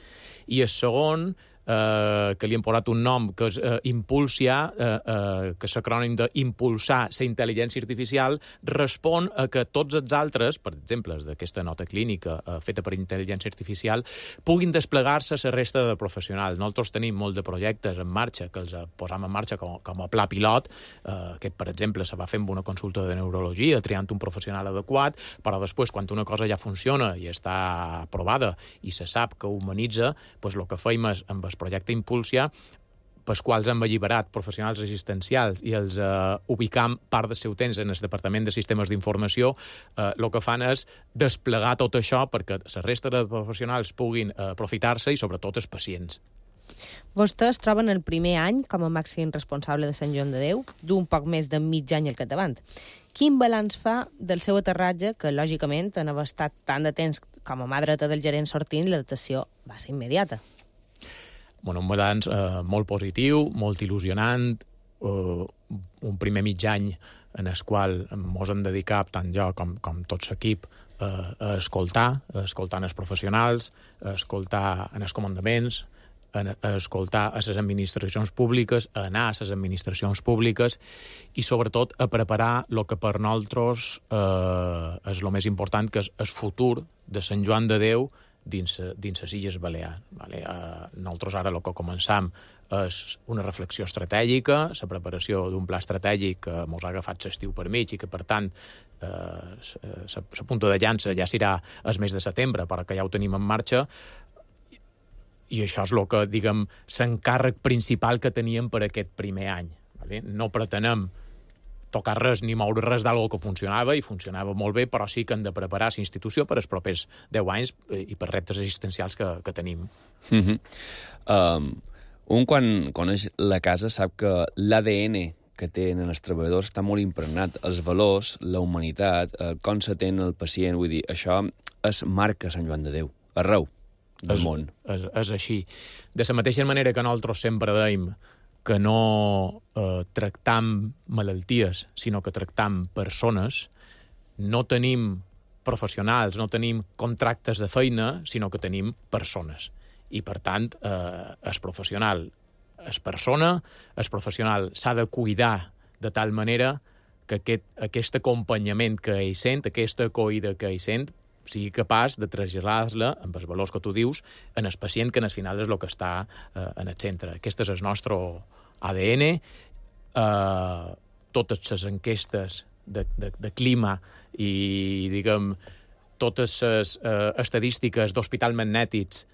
I el segon, eh, que li hem posat un nom, que és eh, Impulsia, eh, eh, que és l'acrònim d'impulsar la intel·ligència artificial, respon a que tots els altres, per exemple, d'aquesta nota clínica eh, feta per intel·ligència artificial, puguin desplegar-se a la resta de professionals. Nosaltres tenim molt de projectes en marxa, que els posam en marxa com, com a pla pilot, eh, que, per exemple, se va fer amb una consulta de neurologia, triant un professional adequat, però després, quan una cosa ja funciona i està aprovada i se sap que humanitza, doncs el que feim és, amb el projecte Impulsia, pels quals hem alliberat professionals assistencials i els eh, ubicam part del seu temps en el Departament de Sistemes d'Informació, eh, el que fan és desplegar tot això perquè la resta de professionals puguin eh, aprofitar-se i sobretot els pacients. Vostè es troba en el primer any com a màxim responsable de Sant Joan de Déu, d'un poc més de mig any al capdavant. Quin balanç fa del seu aterratge, que lògicament en haver estat tant de temps com a mà dreta del gerent sortint, l'adaptació va ser immediata? Bueno, un balanç eh, molt positiu, molt il·lusionant, eh, un primer mig any en el qual ens hem dedicat, tant jo com, com tot l'equip, eh, a escoltar, a escoltar els professionals, a escoltar en els comandaments, a, a escoltar a les administracions públiques, a anar a les administracions públiques i, sobretot, a preparar el que per nosaltres eh, és el més important, que és el futur de Sant Joan de Déu dins, dins les Illes Balears. Vale? Uh, nosaltres ara el que començam és una reflexió estratègica, la preparació d'un pla estratègic que ens ha agafat l'estiu per mig i que, per tant, la punta de llança ja serà el mes de setembre, però que ja ho tenim en marxa, i això és el que, diguem, l'encàrrec principal que teníem per aquest primer any. Vale? No pretenem tocar res ni moure res d'algo que funcionava, i funcionava molt bé, però sí que hem de preparar la institució per als propers deu anys i per reptes assistencials que, que tenim. Mm-hmm. um, un, quan coneix la casa, sap que l'A D N que tenen els treballadors està molt impregnat. Els valors, la humanitat, eh, com s'atén el pacient, vull dir, això es marca Sant Joan de Déu, arreu del és, món. És, és així. De la mateixa manera que nosaltres sempre deim que no eh, tractam malalties, sinó que tractam persones, no tenim professionals, no tenim contractes de feina, sinó que tenim persones. I, per tant, eh, el professional és persona, el professional s'ha de cuidar de tal manera que aquest, aquest acompanyament que ell sent, aquesta acollida que ell sent, sigui capaç de traslladar-la, amb els valors que tu dius, en el pacient, que al final és el que està eh, en el centre. Aquest és el nostre A D N. Eh, totes les enquestes de, de, de clima i, diguem, totes les eh, estadístiques d'hospital magnètics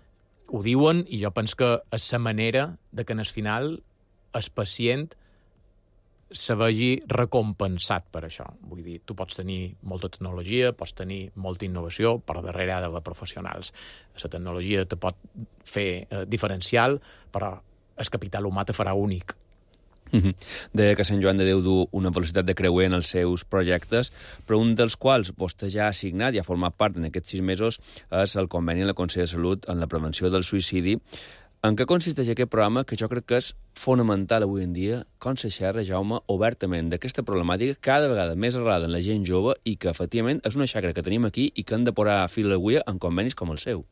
ho diuen, i jo penso que és la manera de que, en el final, el pacient se vegi recompensat per això. Vull dir, tu pots tenir molta tecnologia, pots tenir molta innovació, però darrere ha d'haver professionals. La tecnologia te pot fer eh, diferencial, però el capital humà te farà únic. Mm-hmm. Deia que Sant Joan de Déu du una velocitat de creuer en els seus projectes, però un dels quals vostè ja ha signat i ha format part en aquests sis mesos és el conveni amb el Consell de Salut en la prevenció del suïcidi. En què consisteix aquest programa, que jo crec que és fonamental avui en dia, com se xerra, Jaume, obertament d'aquesta problemàtica cada vegada més arrelada en la gent jove i que, efectivament, és una xacra que tenim aquí i que hem de posar fil a l'agulla en convenis com el seu?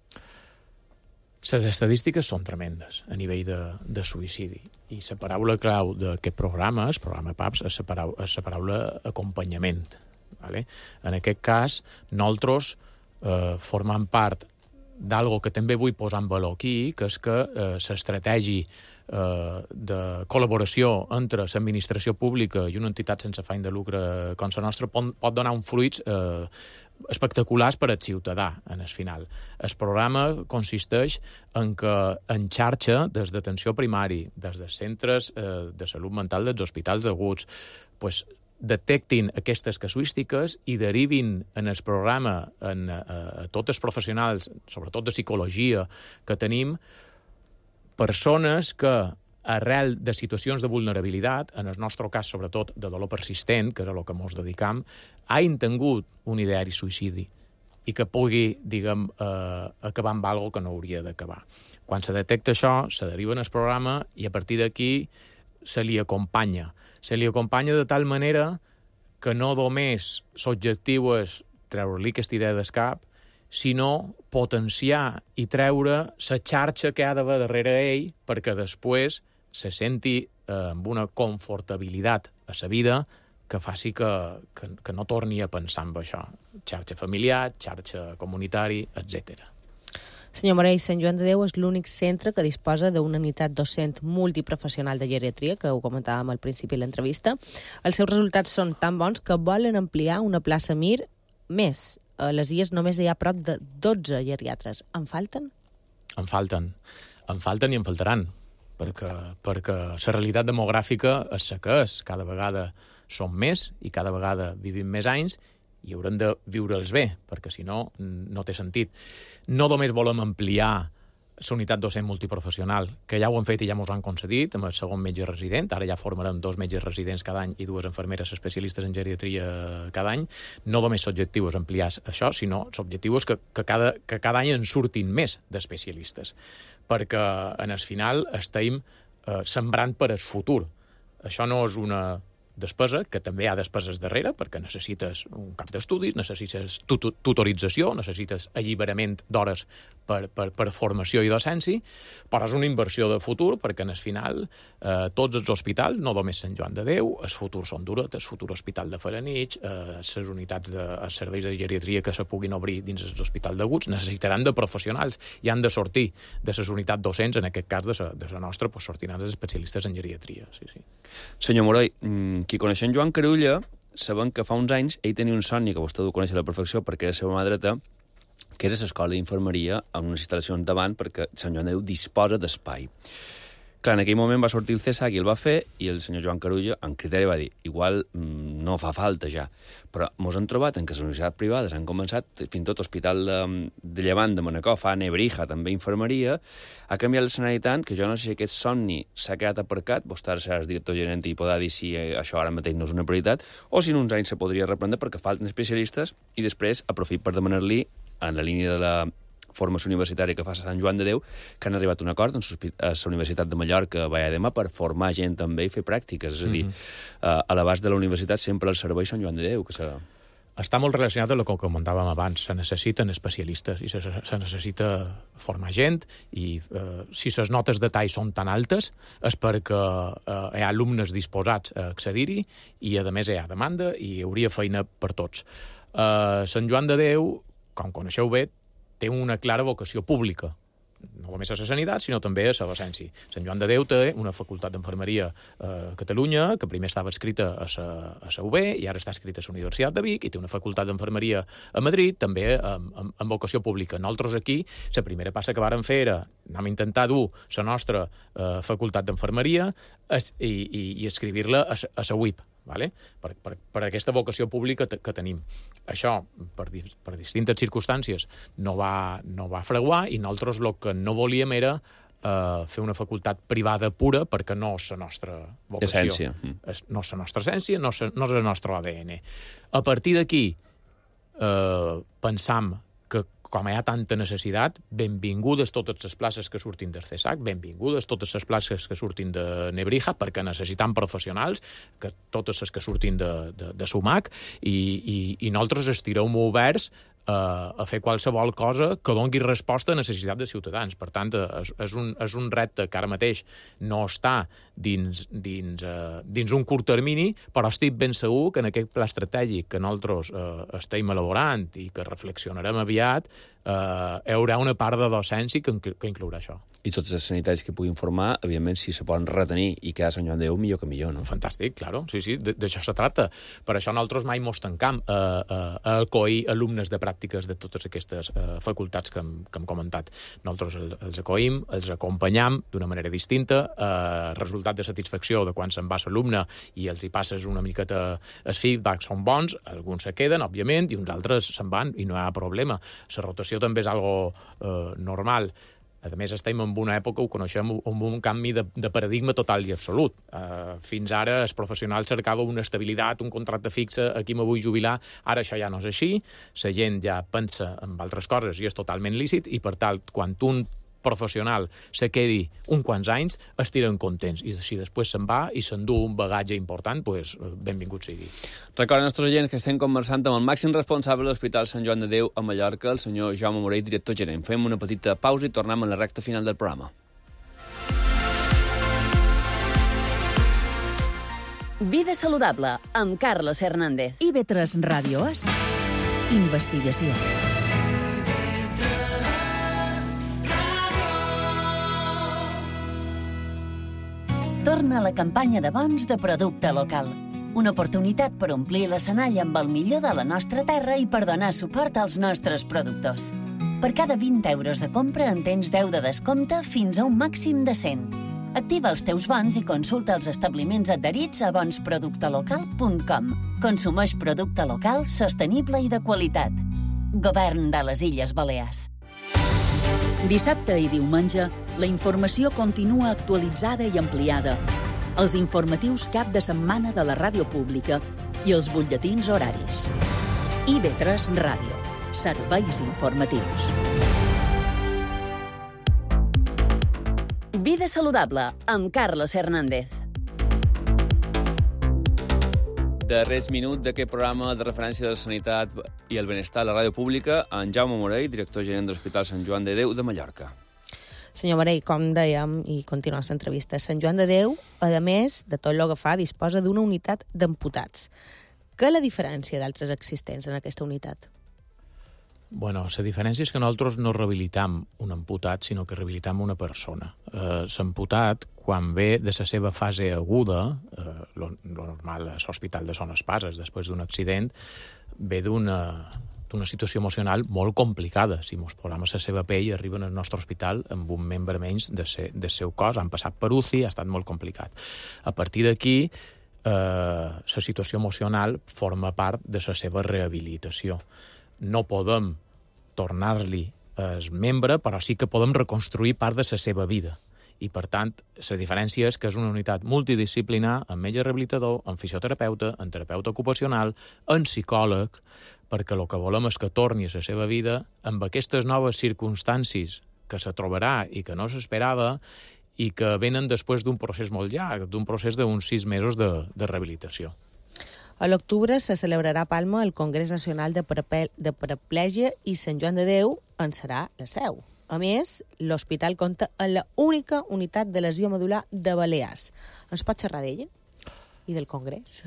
Les estadístiques són tremendes a nivell de, de suïcidi, i la paraula clau d'aquest programa, el programa P A P S, és la paraula, és la paraula acompanyament. Vale? En aquest cas, nosaltres eh, formam part d'algo que també vull posar en valor aquí, que és que eh, l'estratègia eh, de col·laboració entre l'administració pública i una entitat sense afany de lucre com la nostra pot, pot donar uns fruits eh, espectaculars per al ciutadà, en el final. El programa consisteix en que en xarxa, des d'atenció primari, des dels centres eh, de salut mental dels hospitals aguts, pues, detectin aquestes casuístiques i derivin en el programa en, a, a tots els professionals, sobretot de psicologia, que tenim, persones que, arrel de situacions de vulnerabilitat, en el nostre cas, sobretot, de dolor persistent, que és a lo que ens dedicam, hagin tingut un ideari suïcidi i que pugui, diguem, eh, acabar amb alguna que no hauria d'acabar. Quan se detecta això, se deriva en el programa i a partir d'aquí se li acompanya. se li acompanya de tal manera que no només l'objectiu és treure-li aquesta idea del cap, sinó potenciar i treure la xarxa que ha d'haver darrere ell perquè després se senti eh, amb una confortabilitat a la vida que faci que, que, que no torni a pensar en això. Xarxa familiar, xarxa comunitari, etcètera. Senyor Morell, Sant Joan de Déu és l'únic centre que disposa d'una unitat docent multiprofessional de geriatria, que ho comentàvem al principi de l'entrevista. Els seus resultats són tan bons que volen ampliar una plaça Mir més. A les Illes només hi ha prop de dotze geriatres. En falten? En falten. En falten i en faltaran, perquè, perquè la realitat demogràfica és la que és. Cada vegada som més i cada vegada vivim més anys i haurem de viure'ls bé, perquè si no, no té sentit. No només volem ampliar la unitat docent multiprofessional, que ja ho han fet i ja ens han concedit, amb el segon metge resident, ara ja formarem dos metges residents cada any i dues infermeres especialistes en geriatria cada any. No només l'objectiu és ampliar això, sinó l'objectiu és que, que, cada, que cada any en surtin més d'especialistes, perquè en el final estem eh, sembrant per al futur. Això no és una despesa, que també hi ha despeses darrere, perquè necessites un cap d'estudis, necessites tut tutorització, necessites alliberament d'hores per, per, per formació i docència, però és una inversió de futur, perquè en el final eh, tots els hospitals, no només Sant Joan de Déu, el futur són Duret, el futur hospital de Felanitx, eh, les unitats de els serveis de geriatria que se puguin obrir dins els hospitals d'aguts, necessitaran de professionals i han de sortir de les unitats docents, en aquest cas de la, de la nostra, pues, sortiran els especialistes en geriatria. Sí, sí. Senyor Morell, qui coneixen Joan Carulla saben que fa uns anys ell tenia un somni que vostè ho coneix a la perfecció perquè era la seva mà dreta, que era l'escola d'infermeria amb unes instal·lacions davant perquè Sant Joan de Déu disposa d'espai. Clar, en aquell moment va sortir el CESAC i el va fer, i el senyor Joan Carulla, en criteri, va dir igual mmm, no fa falta ja. Però mos han trobat en que les universitats privades han començat, fins i tot l'Hospital de, de Llevant de Manacor, fa Nebrija, també infermeria, ha canviat l'escenari tant que jo no sé si aquest somni s'ha quedat aparcat, vostè ara seràs director gerent i podrà dir si això ara mateix no és una prioritat, o si en uns anys se podria reprendre perquè falten especialistes, i després aprofit per demanar-li, en la línia de la formació universitària que fa a Sant Joan de Déu, que han arribat a un acord amb la Universitat de Mallorca a Vallademar per formar gent també i fer pràctiques. És a dir, mm-hmm. a l'abast de la universitat sempre el servei Sant Joan de Déu. Que se... Està molt relacionat amb el que comentàvem abans. Se necessiten especialistes i se, se necessita formar gent i eh, si les notes de tall són tan altes és perquè eh, hi ha alumnes disposats a accedir-hi i, a més, hi ha demanda i hi hauria feina per tots. Eh, Sant Joan de Déu, com coneixeu bé, té una clara vocació pública, no només a la sanitat, sinó també a la docència. Sant Joan de Déu té una facultat d'enfermeria a Catalunya, que primer estava escrita a la U B i ara està escrita a la Universitat de Vic, i té una facultat d'enfermeria a Madrid, també amb, amb, amb vocació pública. Nosaltres aquí, la primera passa que vàrem fer era anem a intentar dur la nostra eh, facultat d'enfermeria i, i, i escriure-la a la U I P. Vale? Per, per, per aquesta vocació pública que tenim. Això, per, per distintes circumstàncies, no va, no va fraguar i nosaltres el que no volíem era eh, fer una facultat privada pura perquè no és la nostra vocació. Essència. És, no és la nostra essència, no és, no és el nostre A D N. A partir d'aquí, eh, pensam que com hi ha tanta necessitat, benvingudes totes les places que surtin del CESAC, benvingudes totes les places que surtin de Nebrija, perquè necessitam professionals, que totes les que surtin de, de, de SUMAC, i, i, i nosaltres estirem oberts a, a fer qualsevol cosa que doni resposta a necessitat de ciutadans. Per tant, és, és, un, és un repte que ara mateix no està dins, dins, uh, dins un curt termini, però estic ben segur que en aquest pla estratègic que nosaltres uh, estem elaborant i que reflexionarem aviat, Uh, hi haurà una part de docència que, que inclourà això. I tots els sanitaris que puguin formar, evidentment, si se poden retenir i quedar a Sant Joan de Déu, millor que millor, no? Fantàstic, claro. Sí, sí, d'això se tracta. Per això nosaltres mai mos tancam a, a, a acollir alumnes de pràctiques de totes aquestes uh, facultats que hem, que hem comentat. Nosaltres els, els acollim, els acompanyam d'una manera distinta, uh, resultat de satisfacció de quan se'n va l'alumne i els hi passes una miqueta el feedback són bons, alguns se queden, òbviament, i uns altres se'n van i no hi ha problema. La rotació també és algo eh, normal. A més, estem en una època, ho coneixem, amb un canvi de, de paradigma total i absolut. Uh, fins ara els professionals cercaven una estabilitat, un contracte fixe, aquí me vull jubilar, ara això ja no és així, la gent ja pensa en altres coses i és totalment lícit, i per tant, quan un professional se quedi un quants anys, estiren contents. I si després se'n va i s'endú un bagatge important, pues, benvingut sigui. Recorden als nostres agents que estem conversant amb el màxim responsable de l'Hospital Sant Joan de Déu a Mallorca, el senyor Jaume Morell, director gerent. Fem una petita pausa i tornem a la recta final del programa. Vida saludable, amb Carlos Hernández. I V tres Ràdio És Investigació. Torna a la campanya de bons de producte local. Una oportunitat per omplir l'escenari amb el millor de la nostra terra i per donar suport als nostres productors. Per cada vint euros de compra en tens deu de descompte fins a un màxim de cent. Activa els teus bons i consulta els establiments adherits a bons producte local punt com. Consumeix producte local, sostenible i de qualitat. Govern de les Illes Balears. Dissabte i diumenge, la informació continua actualitzada i ampliada. Els informatius cap de setmana de la ràdio pública i els butlletins horaris. I V tres Ràdio. Serveis informatius. Vida saludable, amb Carlos Hernández. Darrers minut d'aquest programa de referència de la sanitat i el benestar a la ràdio pública, en Jaume Morell, director gerent de l'Hospital Sant Joan de Déu de Mallorca. Senyor Morell, com dèiem, i continuem l'entrevista, Sant Joan de Déu, a més de tot el que fa, disposa d'una unitat d'amputats. Què és la diferència d'altres existents en aquesta unitat? Bueno, la diferència és que nosaltres no rehabilitam un amputat, sinó que rehabilitam una persona. Eh, l'amputat, quan ve de la seva fase aguda, eh, lo, lo normal a l'Hospital de Son Espases, després d'un accident, ve d'una d'una situació emocional molt complicada. Si mos posam a la seva pell, arriben al nostre hospital amb un membre menys de se, del seu cos, han passat per U C I, ha estat molt complicat. A partir d'aquí, eh, la situació emocional forma part de la seva rehabilitació. No podem tornar-li el membre, però sí que podem reconstruir part de la seva vida. I, per tant, la diferència és que és una unitat multidisciplinar amb metge rehabilitador, amb fisioterapeuta, amb terapeuta ocupacional, amb psicòleg, perquè el que volem és que torni a la seva vida amb aquestes noves circumstàncies que se trobarà i que no s'esperava i que venen després d'un procés molt llarg, d'un procés d'uns sis mesos de, de rehabilitació. A l'octubre se celebrarà a Palma el Congrés Nacional de, Parape de Paraplègia i Sant Joan de Déu en serà la seu. A més, l'hospital compta amb l'única unitat de lesió medular de Balears. Ens pot xerrar d'ella i del Congrés?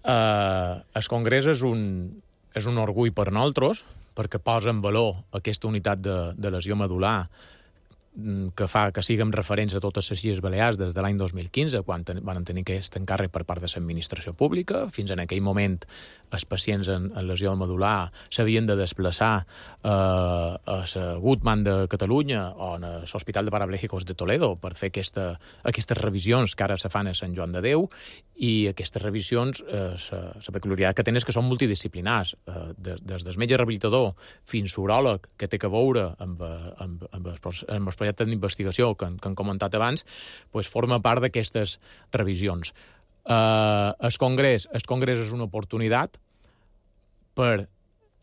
Uh, el Congrés és un, és un orgull per nosaltres, perquè posa en valor aquesta unitat de, de lesió medular que fa que siguem referents a totes les Illes Balears des de l'any dos mil quinze, quan ten, van tenir aquest encàrrec per part de l'administració pública. Fins en aquell moment, els pacients en, en lesió medular s'havien de desplaçar eh, a la Guttmann de Catalunya o a l'Hospital de Parapléjicos de Toledo per fer aquesta, aquestes revisions que ara se fan a Sant Joan de Déu, i aquestes revisions, eh, la peculiaritat que tenen és que són multidisciplinars, eh, des, des del metge rehabilitador fins uròleg, que té que veure amb, amb, amb, els, amb els projectes d'investigació que, que han comentat abans, pues forma part d'aquestes revisions. Eh, el Congrés, el Congrés és una oportunitat per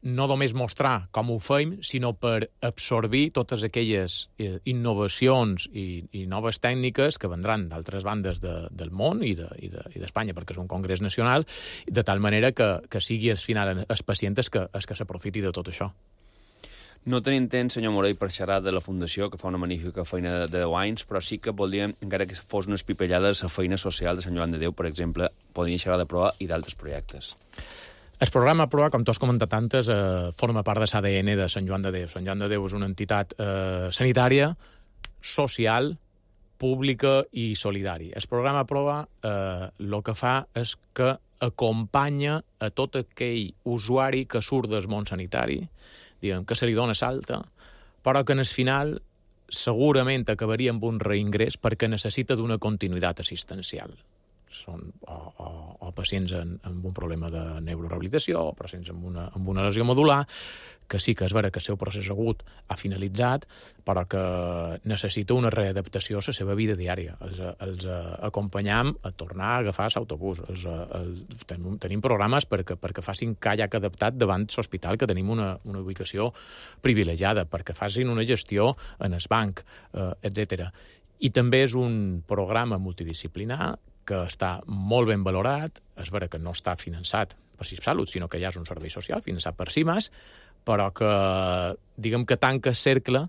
no només mostrar com ho fem, sinó per absorbir totes aquelles eh, innovacions i, i noves tècniques que vendran d'altres bandes de, del món i d'Espanya, de, i de, perquè és un congrés nacional, de tal manera que, que sigui al final els pacients que, els que s'aprofiti de tot això. No tenim temps, senyor Morell, per xerrar de la Fundació, que fa una magnífica feina de deu anys, però sí que voldríem, encara que fos una espipellada, la feina social de Sant Joan de Déu, per exemple, podríem xerrar de Proa i d'altres projectes. El programa Proa, com tu has comentat antes, eh, forma part de l'A D N de Sant Joan de Déu. Sant Joan de Déu és una entitat eh, sanitària, social, pública i solidària. El programa Proa eh, el que fa és que acompanya a tot aquell usuari que surt del món sanitari, diguem, que se li dona salta, però que en el final segurament acabaria amb un reingrés perquè necessita d'una continuïtat assistencial. Són o, o, o pacients en, amb un problema de neurorehabilitació, o pacients amb una, amb una lesió medular, que sí que és vera que el seu procés agut ha finalitzat, però que necessita una readaptació a la seva vida diària. Els, els acompanyam a tornar a agafar l'autobús. Els, els, tenim, tenim programes perquè, perquè facin kayak adaptat davant l'hospital, que tenim una, una ubicació privilegiada, perquè facin una gestió en el banc, eh, etcètera. I també és un programa multidisciplinar que està molt ben valorat. És vera que no està finançat per CiSalut, sinó que ja és un servei social finançat per CIMAS, però que, diguem que tanca cercle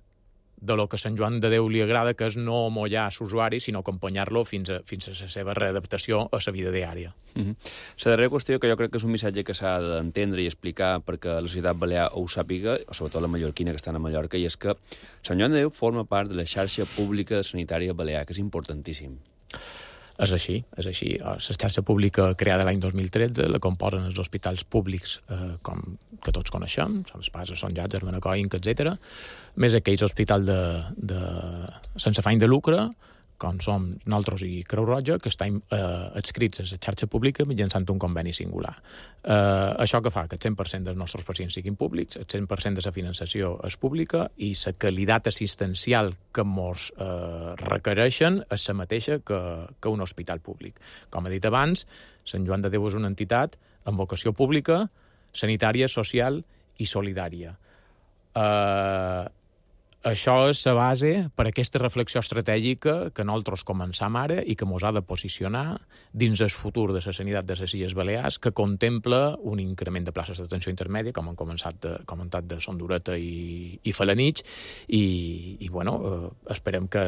de lo que a Sant Joan de Déu li agrada, que és no mollar l'usuari, sinó acompanyar-lo fins a, fins a la seva readaptació a la vida diària. Mm-hmm. La darrera qüestió, que jo crec que és un missatge que s'ha d'entendre i explicar perquè la societat balear ho sàpiga, o sobretot la mallorquina que estan a Mallorca, i és que Sant Joan de Déu forma part de la xarxa pública sanitària balear, que és importantíssim. És així, és així. La xarxa pública creada l'any dos mil tretze la composen els hospitals públics eh, com que tots coneixem, són Espasa, Son Llàtzer, Manacoinc, etcètera, més aquells hospitals de, de, sense afany de lucre, com som nosaltres i Creu Roja, que estan eh, adscrits a la xarxa pública mitjançant un conveni singular. Eh, això que fa que el cent per cent dels nostres pacients siguin públics, el cent per cent de la finançació és pública i la qualitat assistencial que ens eh, requereixen és la mateixa que, que un hospital públic. Com he dit abans, Sant Joan de Déu és una entitat amb vocació pública, sanitària, social i solidària. Eh... Això és la base per a aquesta reflexió estratègica que nosaltres començam ara i que ens ha de posicionar dins el futur de la sanitat de les Illes Balears, que contempla un increment de places d'atenció intermèdia, com han començat de, comentat de Son Dureta i, i Felanitx, i, i bueno, eh, esperem que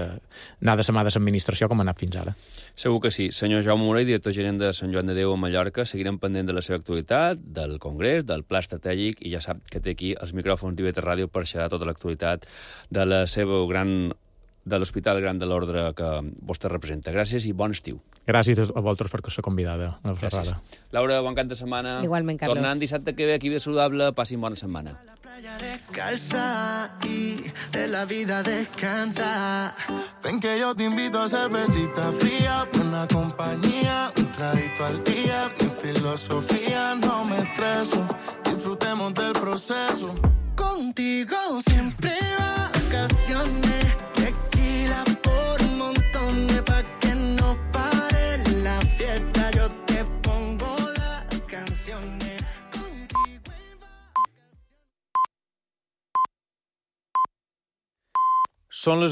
anar de la mà de l'administració com ha anat fins ara. Segur que sí. Senyor Jaume Morell, director gerent de Sant Joan de Déu a Mallorca, seguirem pendent de la seva actualitat, del Congrés, del Pla Estratègic, i ja sap que té aquí els micròfons d'I V T Ràdio per xerrar tota l'actualitat de la seva gran, de l'Hospital Gran de l'Ordre que vostè representa. Gràcies i bon estiu. Gràcies a vosaltres per ser convidada a la xerrada. Laura, bon cap de setmana. Igualment, Carlos. Tornant dissabte que ve aquí Vida Saludable, passin bona setmana. La playa descalza y de la vida descansa. Ven que yo te invito a cervecita fría, buena compañía, un traguito al día. Mi filosofía, no me estreso, disfrutemos del proceso. Contigo siempre vacaciones, tequila por montones, pa' que no pare la fiesta. Yo te pongo las canciones. Contigo en vacaciones. Són les